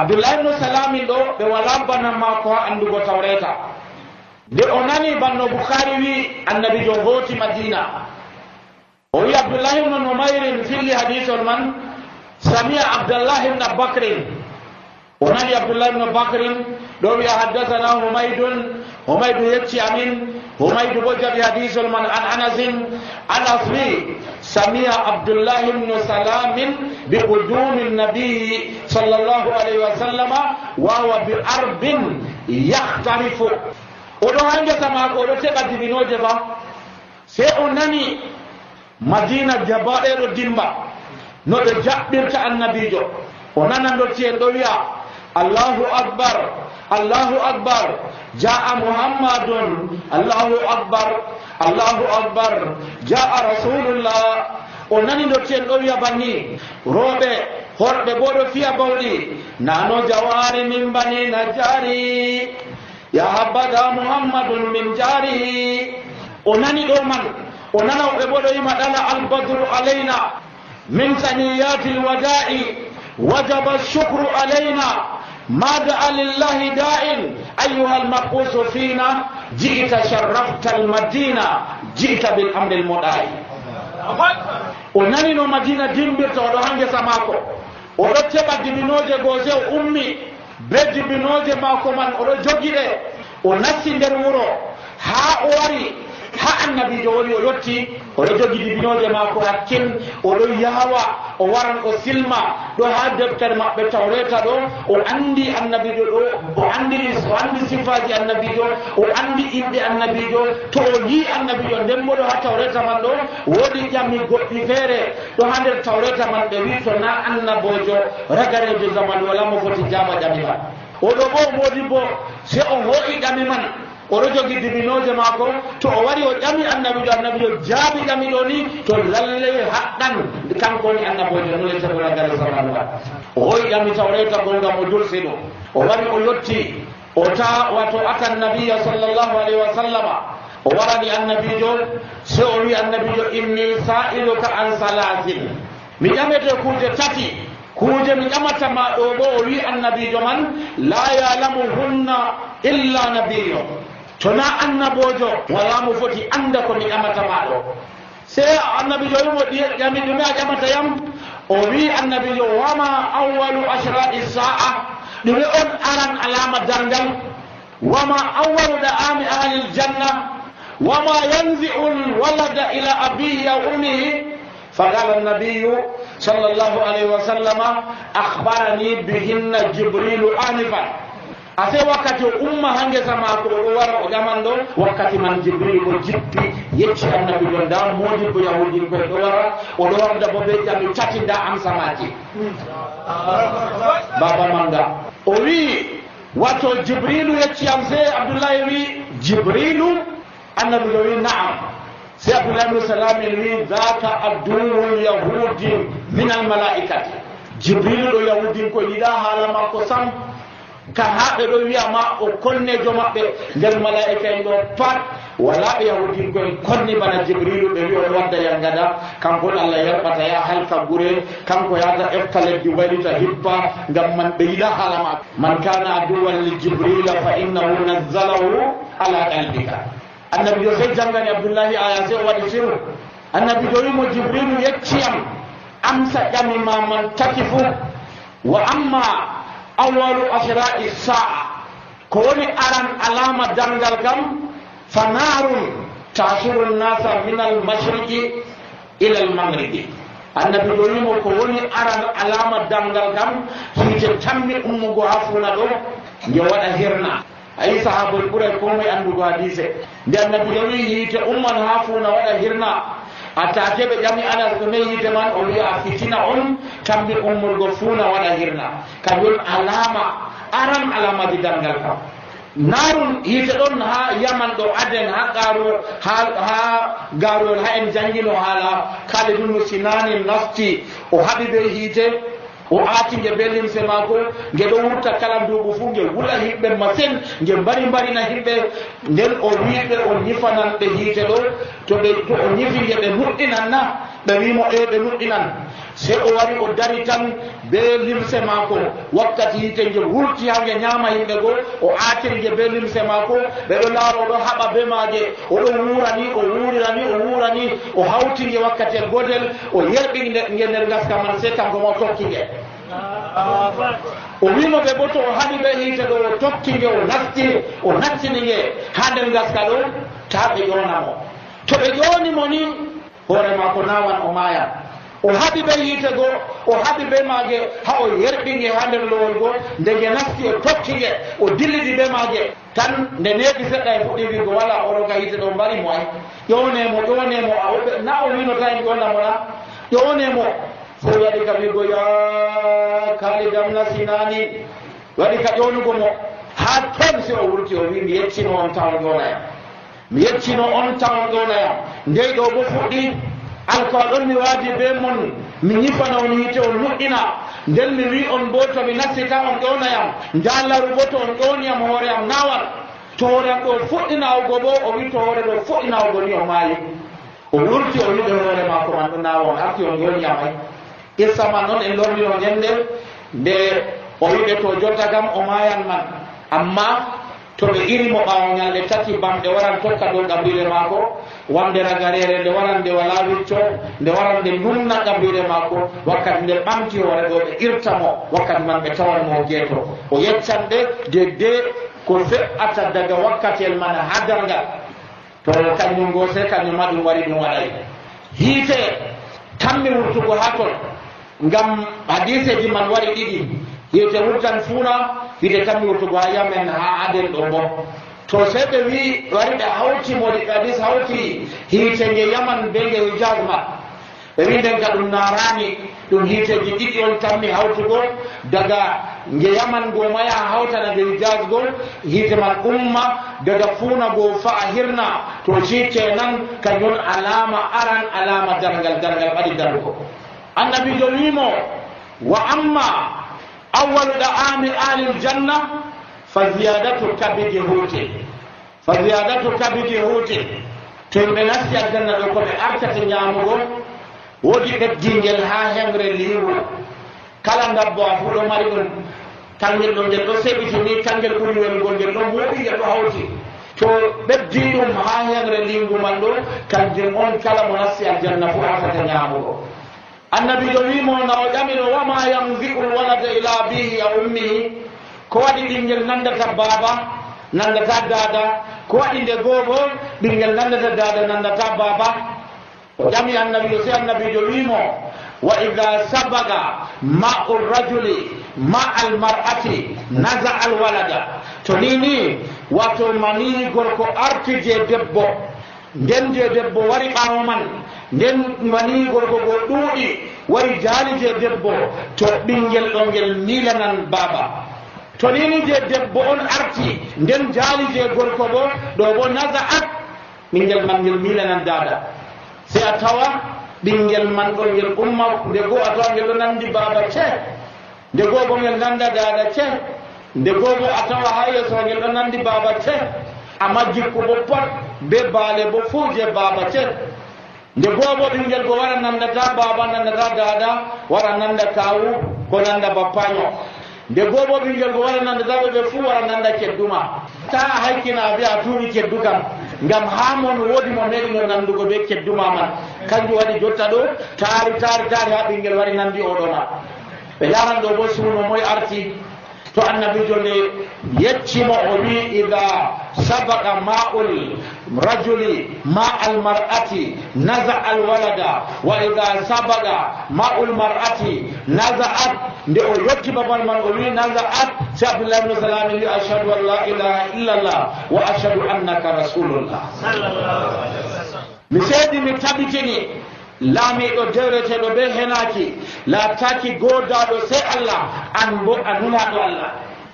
abdoullahi ibnu salamin ɗo ɓe wala bana mako ha andugo tawreta nde o nani banno boukhari wi annabijo hoti madina o wi abdoullahi ibnu noumayrin filli hadisol man samia abdallah ibne bacrin o nani abdoullahi ibne bacrin ɗo wiya haddasana humaydu yecci amin humaydu bo jaɓi hadisol man an anasin anas wi samia abdoullahi ibnu salamin bi qudumi nabiyi sallllahu alayhi wa sallama wawa bi arbin yahtarifu oɗo ha ngesa maako oɗo teɓa dibinoje ba sey o nani madina jabaɗeɗo dimba no ɓe jaɓɓirta annabijo o nanandotti en ɗo wiya allahu akbar allahu akbar jaa muhammadun allahu akbar jaa rasulullah o nanidotti en ɗo wiya banni rooɓe horɓe bo ɗo fiya bawɗi nano jawari min bani najari ya habbada muhammadun min jari o nani ɗo man o nana ɓe bo ɗo yima ɗala albadru alayna min saniyati lwada'i wajaba shukru alayna ma da'a lillahi da'in ayuha almaqusu fina ji'ta sharrafta almadina ji'ta bil amri almuda'i o nani no madina dimbirta oɗo ha ngesa maako oɗo teɓa dibinoje gose o ummi be dibinoje maako man oɗo jogi ɗe o nasti nder wuro ha o wari ha annabijo woni o yotti oɗo jogi dibinoje maako hakkin oɗo yawa o waran o silma ɗo ha deftere maɓɓe tawreta ɗo o andi annabijo ɗo o andi sifaji annabijo o andi inɗe annabijo to o yi annabijo nden bo ɗo ha tawreta man ɗo woodi ƴammi goɗɗi feere ɗo ha nder tawreta man ɓe wi to na annabojo ragarejo zaman wala mo foti jama ƴami man oɗo bo modi bo se o ho'i ƴami man oɗo jogi dibinoje maako to o wari o ƴami annabijo jaabi ƴami ɗo ni to lalle haɗɗan kanko woni annabojo nolete ragare zaman wa o ho'i ƴami tawreta go ngam o dursiɗo o wari o yotti o ta wato ata nabiya sallllahu alayhi wa sallama o warani annabijo se o wi annabijo inni sa'iluka an salasin mi ƴamete kuje tati kuje mi ƴamatama ɗo bo o wi annabijo man la yalamuhunna illa nabiyo to na annabojo wala mo foti anda ko mi ƴamatama ɗo se annabijo wimo ƴami ɗume a ƴamata yam o wi annabijo wama awalu ashra'i sa'a ɗume on aran alama dargal wama awalu da'ami ahli ljanna wama yanzi'u lwalada ila abihi aw ummihi فقال النبي صلى الله عليه وسلم أخبرني بهن جبريل آنفا ase wakkati o umma hange samako oɗo wara o ƴamando wakkati man jibril o jippi yecci annabijo nda modibbo yahudin koye ɗo wara oɗo warda bo ɓe ƴami tati nda amsamaji baba manga o wi wato jibrilu yecci am se abdoullahi wi jibrilu annabijo wi naam se abdoullahi ibnu salamin wi dhaka aduwul yahudi min almalaikati jibrilu ɗo yahudin ko yiɗa haala makko sam ka haɓe ɗo wiyama o konnejo maɓɓe nder malaika en ɗo pat wala ɓe yahudin koyen konni bana jibrilu ɓe wi o wadda yangada kankon allah yerɓata ya halka gure kanko yata efta leddi waylita hippa ngam man ɓe yiɗa haala ma man kana aduwan li jibrila fa innahu nazzalahu ala qalbika annabijo sey jangani abdoullahi aya se o waɗi siru annabijo wimo jibrilu yecciyam amsa ƴami ma man taki fuu wa amma awalu ashra'i sa'a ko woni aran alama dargal kam fa narun tasiru nnasa min almashriqi ila almagribi annabijo wimo ko woni aran alama dargal kam hiite tammi ummugo ha fuuna ɗo nde waɗa hirna ayi sahabol ɓuuray ko moye andugo hadise nde annabijo wi hiite umman ha fuuna waɗa hirna atake ɓe ƴami anas ɗume yiite man o wiya a fitina on tambi ummurgo fuuna waɗa hirna kañum alama aran alamaji dargal kam narun yiite ɗon ha yaman ɗo aden ha garol ha en jangino haala Khalid ibn Sinani nasti o haɓi ɓe hiite o aati nge be limse maako nge ɗo wurta kala nduuɓu fuu nge wula himɓe masin nge mbarina himɓe nden o wiɓe o ñifananɓe hiite ɗo to o ñifi nge ɓe nuɗɗinan na ɓe wimo ɓe nuɗɗinan se o wari o dari tan be limse maako wakkati hiite nge wurti ha nge ñaama himɓe goo o aatiri nge be limse maako ɓe ɗo laara oɗo haɓa be maaje oɗo wuurani o wuurani o hawti nge wakkatel gotel o yerɓi nge nder gaska man se kanko ma o tokki nge o wimo ɓe bo to o haɗi ɓe hiite ɗo o tokki nge o nattini nge ha nder gaska ɗo ta ɓe ƴonamo to ɓe ƴonimo ni hoore maako nawan o maaya o haɓi ɓe hiite goo o haɓi ɓe maage ha o yerɓi nge ha nder lowol goo nde nge nasti o tokki nge o dillidi ɓe maage tan nde neeɓi seɗɗa e fuɗɗi wigo wala oɗo ka hiite ɗo mbari mo ay ƴownemo na o wino ta en ƴonnamo na ƴownemo so waɗi ka wigo ya kalidam nasinani waɗi ka ƴownugo mo ha ton si o wurti o wi mi yeccino on tawon ƴownayam mi yeccino on tawon ƴownayam ndey ɗo bo fuɗɗi alkaɗon mi waadi be mon mi ñifana on hiite on nuɗɗina nden mi wi on bo to mi nassita on ƴownayam njaallaru bo to on ƴowniyam hoore am nawal to hoore am ɗo fuɗɗinawgo bo o wi to hoore ɗo fuɗɗinawgo ni o maayi o wurti o wiɓe hoore maako man ɗo nawa on arti on ƴowniyam ay issama noon en lornino ñande nde o wiɓe to jotta kam o maayan man amma to ɓe irimo ɓaawo ñalɗe tati bamɗe waran tokka dow ɗaɓɓire maako wamde ragarere nde waran nde wala wicco nde waran nde numna ɗaɓɓire maako wakkati nde ɓamti hoore ɗo ɓe irtamo wakkati man ɓe tawanmo geeto o yeccanɗe de ko fe'ata daga wakkatel man ha darngal to kañum go se kañum ma ɗum wari ɗum waɗay hiite tammi wurtugo ha ton ngam hadiseji man wari ɗiɗi hiite wurtan fuuna hiite tammi wurtugo ha yamen ha aden ɗo bo to se ɓe wi wari ɓe hawti moɗi hadis hawti hiite nge yaman be nge hijaz ma ɓe wi nden ka ɗum narani ɗum hiiteji ɗiɗi on tammi hawtugo daga nge yaman go maya hawtana nge hijaz go hiite man umma daga fuuna go fa'a hirna to si kenan kañum alama aran alama dargal ɓaɗi darugo annabijo wimo wa amma awwalu da'ami alil janna fa ziyadatu kabidi huute to yimɓe nasti aljanna ɗo ko ɓe artata ñaamugo woodi ɓeddingel ha hemre liiru kala ndabbo a fu ɗo mari ɗum kangel ɗo ngel ɗo seɓitini kangel ɓuri welgol ngel ɗo muuɗi ngel ɗo hawti to ɓeddi ɗum ha hemre liingu man ɗo kanjum on kala mo nasti aljanna fu artata ñaamugo annabijo wimo na o ƴamino wama yamzi'u lwalada ila abihi a ummihi ko waɗi ɓinngel nandata baaba nandata daada ko waɗi nde goobo ɓinngel nandata daada nandata baaba o ƴami annabijo si annabijo wimo wa ida sabaga ma'u rajuli ma almar'ati naza alwalada to nini wato mani gorko arti je debbo nden je debbo wari ɓaawo man nden mani gorko go ɗuuɗi wari jaali je debbo to ɓinngel ɗo ngel milanan baaba to nini je debbo on arti nden jaali je gorko bo ɗo bo nasa'at ɓinngel man ngel milanan daada se a tawa ɓinngel man ɗo ngel umma nde goo a tawa ngel ɗo nandi baaba ce nde goo bo ngel nanda daada ce nde goo bo a tawa ha yeeso ngel ɗo nandi baaba ce amma jikku bo pot be baale bo fuu je baaba ce nde goo bo ɓinngel ko wara nandata baaba nandata daada wara nanda kawu ko nanda bappaño nde goo bo ɓinngel ko wara nandata ɓe fuu wara nanda kedduma ta hakkina a wiya tuuri keddu kam ngam ha mon woodi mo meɗino nandugo be kedduma man kanjum waɗi jotta ɗo taari ha ɓinngel wari nandi oɗona ɓe laran ɗo bo suuno moye arti to annabijo nde yeccimo o wi ida sabaka ma'ul rajuli ma almar'ati naza alwalada wa ida sabaka ma'ul mar'ati naza'at nde o yotti babal man o wi naza'at si abdullah ibn salam wi ashhadu an la ilaha illallah wa ashhadu annaka rasulullah mi seedi mi tabitini laamiɗo dewreteɗo be henaki laataki godaɗo sey Allah an bo a nunaɗo Allah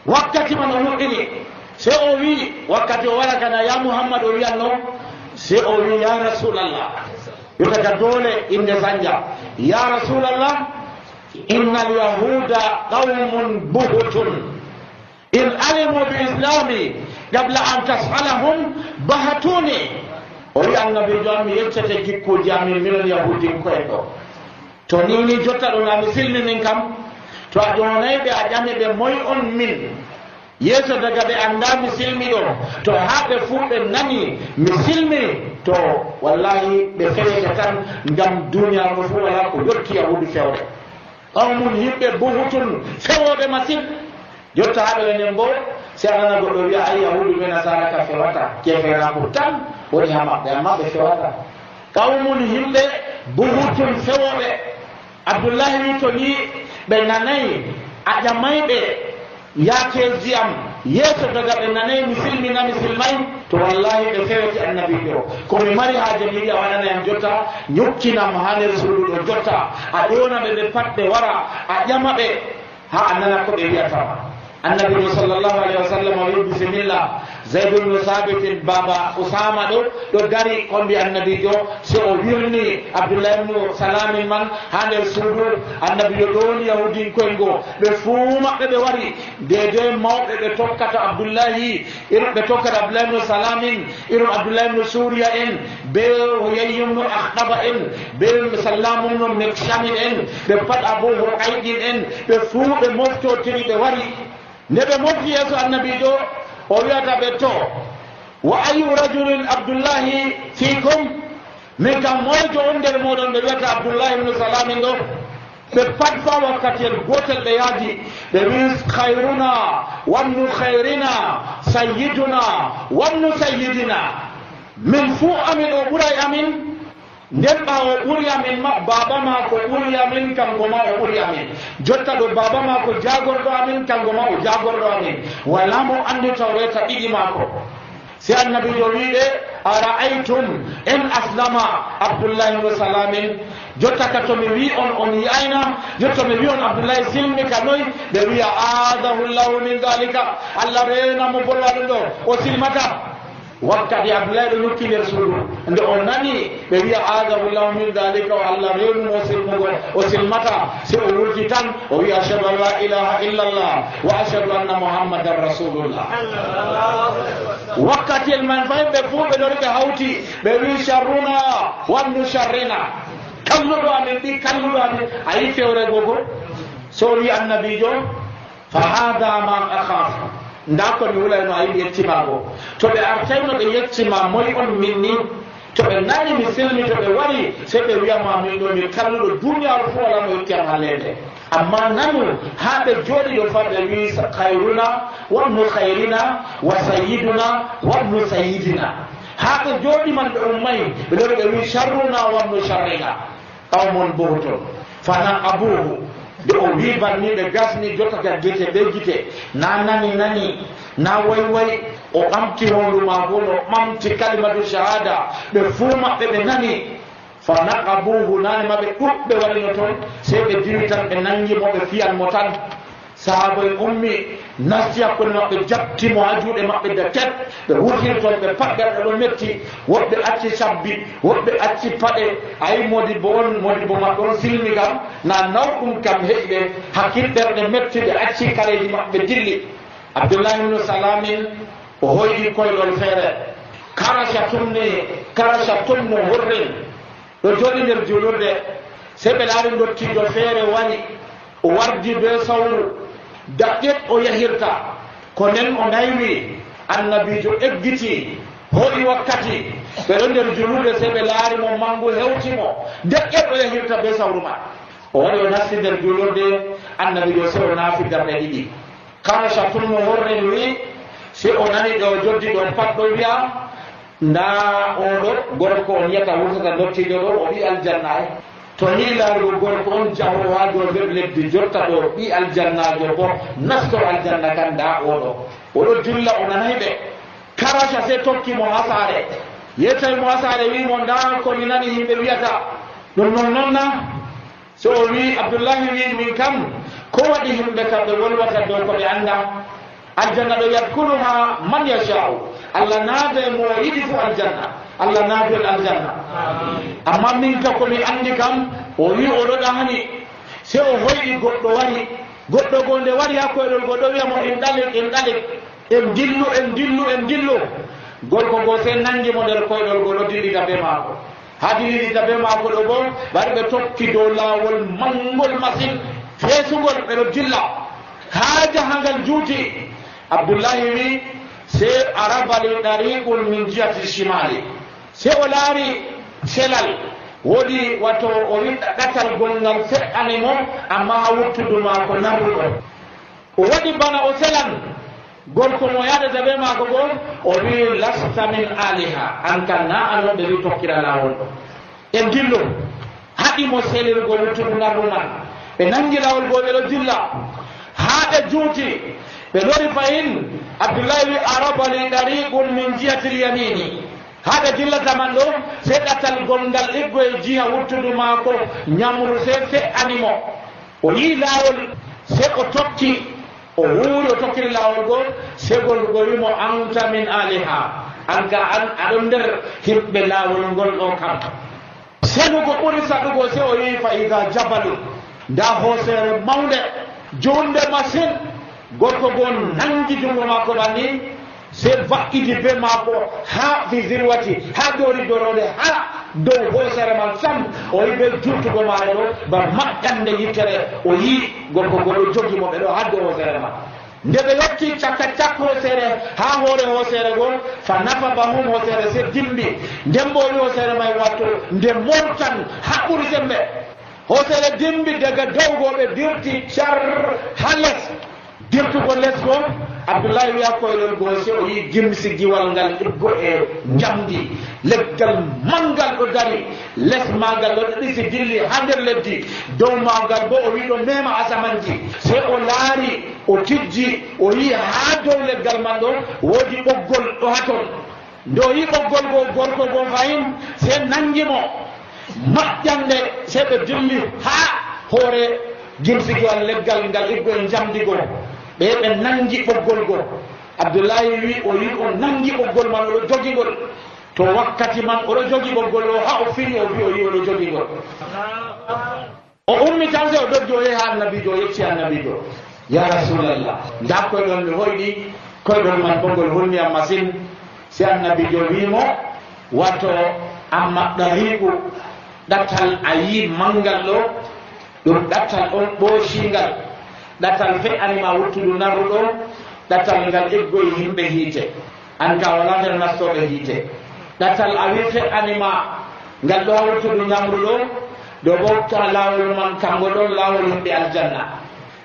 wakkati man o nuɗɗini se o wi wakkati o wara kana ya Muhammad o wiyanno se o wi ya rasulallah yotaka doole inde sanja ya rasulallah inna alyahuda qawmun buhutun in alimu bi islami qabla an tas'alahum bahatuni o wi annabijo am yeccete jikkuji amin minon yahudin koye ɗo to nini jotta ɗo ngami silmi min kam to a ƴonayɓe a ƴami ɓe moy on min yeeso daga ɓe annda mi silmi ɗo to haa ɓe fuu ɓe nani mi silmi to wallahi ɓe fewete tan ngam duniyaru fuu wala ko yotti yahudu fewde qawmun yimɓe buhutun fewoɓe masine jotta haa ɓe enen bo si a nana goɗɗo wiya ay yahudu ɓe nasara ka fewata keferaku tan woni ha maɓɓe amma ɓe fewata qawmun yimɓe buhutun fewoɓe abdoullahi wi to ni ɓe nanayi a ƴamayɓe yaakeji am yeeso daga ɓe nanayi mi silmina mi silmay to wallahi ɓe feweti annabijo komi mari haaje mi yiɗi a waɗana en jotta ñokkinam ha nder suudu ɗo jotta a ƴonaɓe ɓe pat ɓe wara a ƴama ɓe ha a nana ko ɓe wiyatama annabijo sallllahu alayhi wa sallam o wi bisimilla zayd ibnu sabitin baba usama ɗo dari kombi annabijo si o wirni abdoullah ibnu salamin man ha nder suudu annabijo ɗoni yahudin koyngo ɓe fuu maɓɓe ɓe wari dede mawɓe ɓe tokkata abdoullahi irum ɓe tokkata abdoullah ibnu salamin irum abdoullah ibnu suria en be huyayy ibnu ahdaba en be sallamu ibnu mekshamin en ɓe pat abou hoqaydin en ɓe fuu ɓe moftotiri ɓe wari nde ɓe mofti yeeso annabijo o wiyata ɓe to wa ayu rajulin abdoullahi fikum min kam moyjo on nder moɗon ɓe wiyata abdoullahi ibnu salamin ɗo ɓe pat fa wakkatiyel gotel ɓe yaaji ɓe wi hayruna wannu hayrina sayyiduna wannu sayyidina min fuu amin o ɓuray amin nden ɓawo ɓuri amin ma baba mako ɓuri amin kanko ma o ɓuri amin jotta ɗo baba mako jagorɗo amin kanko ma o jagorɗo amin wala mo andi tawreta ɗiɗi mako si annabijo wiɗe ara'aytum en aslama abdoullahi ibnu salamin jotta ka tomi wi on yiyayna jotta mi wi on abdoullahi silmi ka noy ɓe wiya adahu llahu min dalika allah renamo bolla ɗum ɗo o silmata wakkati abdoulahi ɗo nokki nder suudu nde o nani ɓe wiya adamullahu min dalika o allah rewnumo silmugo o silmata si o wurti tan o wiya ashhadu an la ilaha illallah wa ashhadu anna muhammadan rasulullah wakkatiyel man fay ɓe fuu ɓe ɗori ɓe hawti ɓe wi sharruna wannu sharrina kalluɗo amin ɗi kalluɗo amin a yi fewre gogo so wi annabijo fa hada ma akhafu nda ko mi wulayno a yiɗi yettimago to ɓe artayno ɓe yettima moy on min ni to ɓe nani mi silmi to ɓe wari sey ɓe wiyama min ɗo mi kalluɗo duniyaru fo wala mo yettiyam hallede amma nanu ha ɓe jooɗi ɗo fa ɓe wi hayruna wabnu hayrina wa sayyiduna wabnu sayyidina ha ɓe jooɗi man ɓe ummayi ɓe ɗoɗo ɓe wi sharruna wabnu sharrina qawmun buhton fana abuhu de o wi banni ɓe gasni jottata gite ɓe gite na nani na way o ɓamti hondu mako no ɓamti kalimatu shahada ɓe fuu maɓɓe ɓe nani fa naqabuhu nane maɓe ɗuɓɓe warino toon sey ɓe diwi tan ɓe nangimo ɓe fiyanmo tan sahaba en ummi nasti hakkude maɓɓe jaɓtimo ha juuɗe maɓɓe de tet ɓe wurtiri toon ɓe pat ɓerɗe ɗo metti woɓɓe acci sabbi woɓɓe acci paɗe ayi modibo maɓɓe on silmi kam na nawɗum kam heƴi ɓe hakkil ɓerɗe metti ɓe acci kareji maɓɓe dilli abdoullahi ibnu salamin o hoyɗi koyɗol feere karasa tumno horren ɗo jooɗi nder julurde sey ɓe laari dottijo feere wari o wardi be sawru daƴƴet o yahirta ko nden o naywi annabijo eggiti hoɗi wakkati ɓe ɗo nder julurde sey ɓe laari mo mangu hewtimo daƴƴet o yahirta be sawru ma o wari o nasti nder julurde annabijo sey o naafi darɗe ɗiɗi karasa tumno horren wi si o nani ɗo joddi ɗon pat ɗo wiya nda oɗo gorko on yiyata wurtata dottijo ɗo o ɓi aljanna e to ni laarugo gorko on jaho ha dow nder leddi jotta ɗo ɓi aljannajo bo nasto aljanna kan nda oɗo dilla o nanay ɓe karaca se tokkimo ha saare yettaymo ha saare wimo nda komi nani yimɓe wiyata ɗum non na so o wi abdoullahi wi min kam ko waɗi yimɓe kam ɓe wolwata dow ko ɓe anda aljanna ɗo yadkuluha man yashau allah naade mo yiɗi fo aljanna allah naadel aljanna amma min ka komi andi kam o wi oɗo ɗahani sey o hoyɗi goɗɗo wari, goɗɗo go nde wari ha koyɗol goɗɗo wiyamo en ɗalik en dillu gorko go sey nangimo nder koyɗol goɗɗo dillita be maako. ha dillita be maako ɗo bo ɓari ɓe tokki dow laawol mangol masine feesugol ɓeɗo dilla ha jahangal juuti. Abdoullahi wi sey arabali dariqul min jihati shimali, sey o laari selal woodi wato o wi ɗatal gongal fe'animo amma ha wuttudu maako narruɗo. o waɗi bana o selan gorko mo yaɗata be maako gol o wi lasta min aliha, an kan na anon ɓe wi tokkira laawol ɗo en dillo. haɗimo selirgol wuttudu narru man, ɓe nangi lawol goo ɓeɗo dilla ha ɓe juuti ɓe lori fayin. Abdoullahi wi arabali dariqun min jihatil yamini, ha ɓe dillata man ɗo sey ɗatal gongal ɗiggo e jiha wuttudu maako ñamru sey fe'animo. o yi laawol sey o tokki, o wuuri o tokkiri laawol gol sey golgo wimo anta min aliha, an ka an aɗon nder himɓe laawol ngol ɗo kam. senugo ɓuri saɗugo sey o yi fa ida jabalu, nda hooseere mawnde jonde masine. gorko gon nangi jungo maako ɓanni sey va'iti be maako ha fi zirwati, ha doori dorode ha dow hoosere man sam. o yi ɓe juttugo maare ɗo ba maƴƴande yittere, o yi gorko goɗo jogi mo ɓeɗo ha dow hoosere man. nde ɓe yotti cak hoosere ha hoore hoosere gol fa nafa bahum hoosere sey dimbi. nden bo wi hoosere may watto nde mortan ha ɓuri sembe. hoosere dimbi daga dow go ɓe dirti car ha les. dirtugo les go Abdoullahi wiya koyɗol goo sey o yi gimsi giwal ngal ɗiggo e jamdi, leggal mangal ɗo dari, les magal ɗo ɗisi dilli ha nder leddi, dow magal bo o wi ɗo mema asamanji. sey o laari o tijji o yi ha dow leggal man ɗo woodi ɓoggol ɗo ha ton. nde o yi ɓoggol go gorko go fayin sey nangimo maƴƴande, sey ɓe dilli ha hoore gimsi giwal leggal ngal ɗiggo e jamdigol. ɓe nangi ɓoggol gol. Abdoullahi wi o yi o nangi ɓoggol man oɗo jogigol. to wakkati man oɗo jogi ɓoggol ɗo ha o fini o wi o yi oɗo jogigol. o ummi tan se o doggi o yehi ha annabijo o yetti annabijo, ya rasulallah nda koyɗol mi hoyɗi, koyɗol man ɓoggol hulniyam masine. si annabijo wimo wato amma ɗariqu ɗatal a yi mangal ɗo ɗum ɗatal on ɓooshingal, ɗatal fe'anima wuttudu narruɗo, ɗatal ngal eggoye yimɓe hiite, an ka wala nder nastoɓe hiite. ɗatal a wi fe'anima ngal ɗo ha wuttudu ñamruɗo ɗo ɓofta laawol man kango ɗon laawol yimɓe aljanna.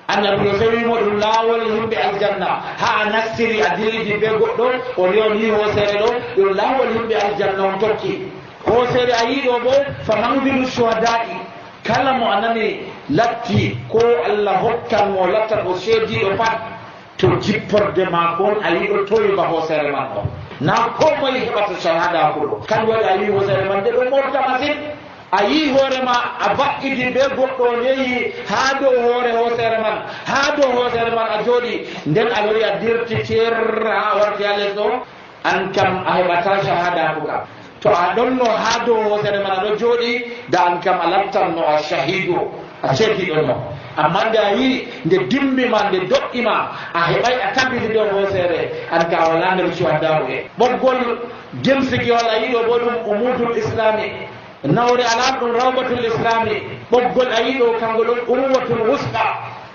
annabi o sewimo ɗum laawol yimɓe aljanna, ha a nastiri a dillidi be goɗɗo o yon yi hoosere ɗo ɗum laawol yimɓe aljanna on tokki. hoosere a yiɗo bo fa manzilu shuhada'i, kala mo anani latti ko Allah hokkan mo lattan o seediɗo pat to jipporde maako on a yiɗo towi ba hoosere man o. na ko moye heɓata shahada ko ɗo kan waɗi a yi hoosere man nde ɗo morta masine. a yi hoorema a va'iti be goɗɗo o yehi ha dow hoore hoosere man, ha dow hoosere man a jooɗi, nden a lori a dirti ter ha warti ha les ɗo, an kam a heɓata shahada ko kam. to a ɗonno ha dow hoosere man aɗo jooɗi da an kam a lattanno a shahidu, a ceetiɗo no. amma nde a yi nde dimbima nde doƴƴima a heɓay a tabbiti dow hoosere, an ka wala nder shuhadaru e. ɓoggol gemsigi wala yiɗo bo ɗum umudul islami, nawre ala ɗum rawbatul islami. ɓoggol a yiɗo kanngol ɗon urwatul wusqa,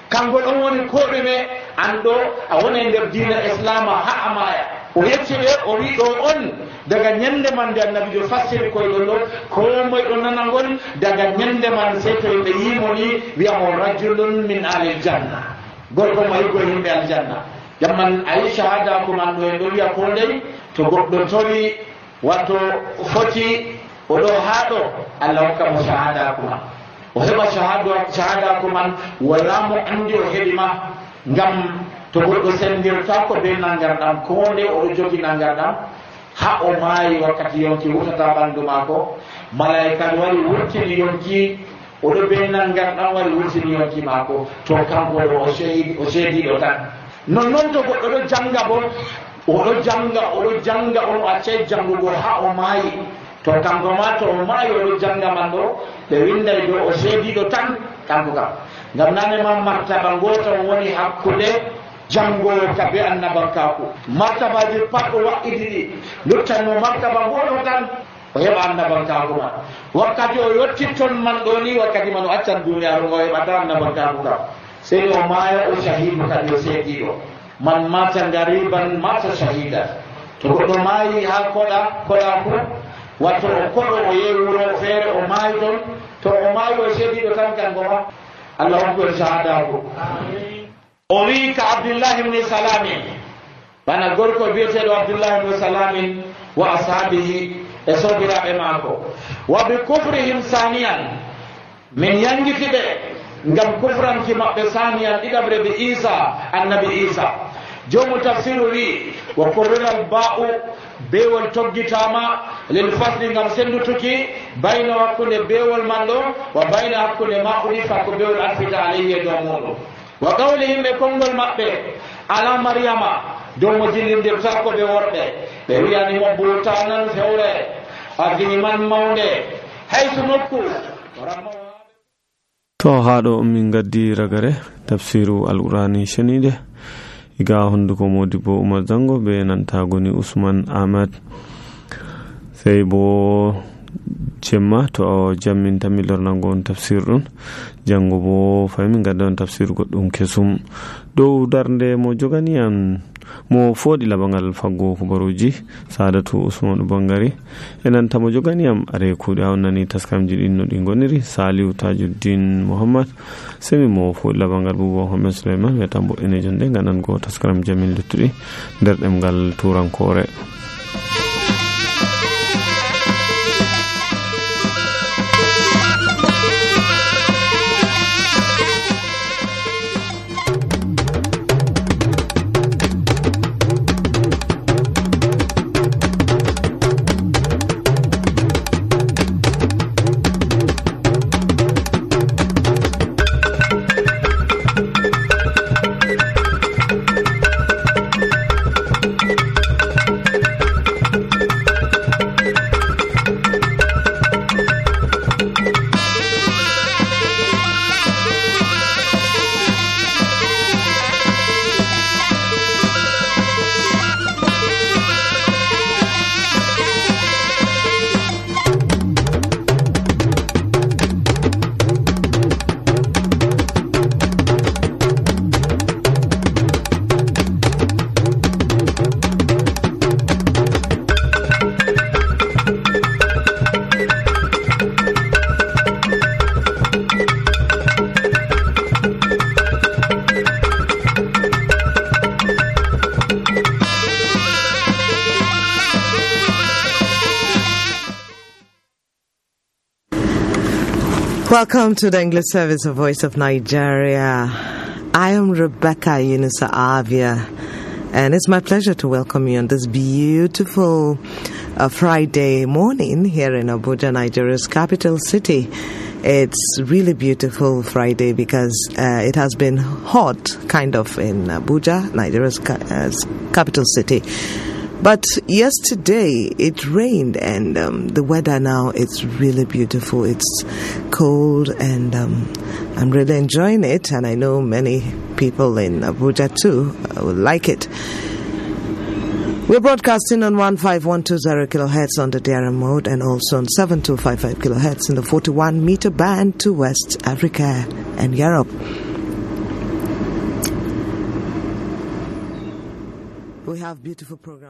kanngol ɗon woni ko ɗume an ɗo a woni nder diina islama ha amaya. o yecci ɓe o wi ɗo on daga ñande man nde annabijo fassiri koyɗol ɗo ko moye ɗo nanangol daga ñande man sey to yimɓe yimo ni wiyamo rajulun min alil janna, gorko mayigo yimɓe aljanna. jamman a yi shahada ko man ɗo en ɗo wiya ko ndey to goɗɗo towi watto foti oɗo haɗo Allah hokka mo shahada ko man, o heɓa shahada ko man wala mo andi o heɓima. ngam to goɗɗo sendirta ko be nangarɗam ko nde oɗo jogi nangarɗam ha o maayi wakkati yonki wurtata ɓanndu maako, malaika wari wurtini yonki oɗo be nangarɗam wari wurtini yonki maako, to kanko o seediɗo tan. nonnoon to goɗɗo ɗo janga bo oɗo janga on accay jangugo ha o maayi, to kanko ma to o maayi oɗo janga man ɗo ɓe winday do o seediɗo tan kanko kam. ngam nane man martaba goto woni hakkude jangowo ka be annabankaku martabaji pat o waɗɗiɗi ɗi luttanno martaba goto tan o heɓa annabankaku man wakkati o yottitton man ɗo ni wakkati man o accan duniyaru ngo heɓata annabankaku kam sey o maaya o shahidu kadi o seeɗiɗo man mata gariban mata shahida to goɗɗo maayi ha koɗaku watto o koɗo o yehi wuro feere o maayi toon to o maayi o seeɗiɗo tan kanko ma Allah hokku en shahadaku o wi ka Abdullahi ibn Salamin bana gorko biyeteɗo Abdullahi ibn Salamin wa ashabihi e sobiraɓe maako wa bi kufrihim saniyan min yangitiɓe ngam kufranki maɓɓe saniyan ɗiɗaɓre bi Isa annabi Isa jomu tafsiru wi wa kurriral ba'u bewol toggitama lil fasli ngam sendutuki bayna hakkunde bewol man ɗo wa bayna hakkunde ma'udi fakko bewol alfita alayhi e dow muɗum wa qawli himɓe konngol maɓɓe ala maryama dow mo jillindirta ko ɓe worɓe ɓe wiyanimo butanan fewre ardini man mawnde hayso nokku to haɗo min gaddi ragare tafsiru alqur'ani shenide iga honduko modibo Umar Zango be nanta goni Usman Ahmad sey bo jemma to o jamminta mi lornango on tafsir ɗum janngo bo faymin gadda on tafsir goɗɗum kesum dow darnde mo joganiyam mo fooɗi laɓangal faggo kubaruji Sadatu Usman Bangari e nanta mo joganiyam are kuuɗe ha on nani taskamji ɗin no ɗi goniri Saliu Tajuddin Muhammad semi mo fooɗi laɓangal Bouba Mohamed Souleiman wiyata mboɗɗenejo nde gandango taskaram jamin luttuɗi nder ɗemgal turankore. Welcome to the English service of Voice of Nigeria. I am Rebecca Yunusa Avia, and it's my pleasure to welcome you on this beautiful Friday morning here in Abuja, Nigeria's capital city. It's really beautiful Friday because it has been hot, kind of, in Abuja, Nigeria's capital city. But yesterday it rained, and the weather now it's really beautiful. It's cold, and I'm really enjoying it, and I know many people in Abuja too will like it. We're broadcasting on 15120 kilohertz on the DRM mode, and also on 7255 kilohertz in the 41 meter band to West Africa and Europe. We have beautiful programs.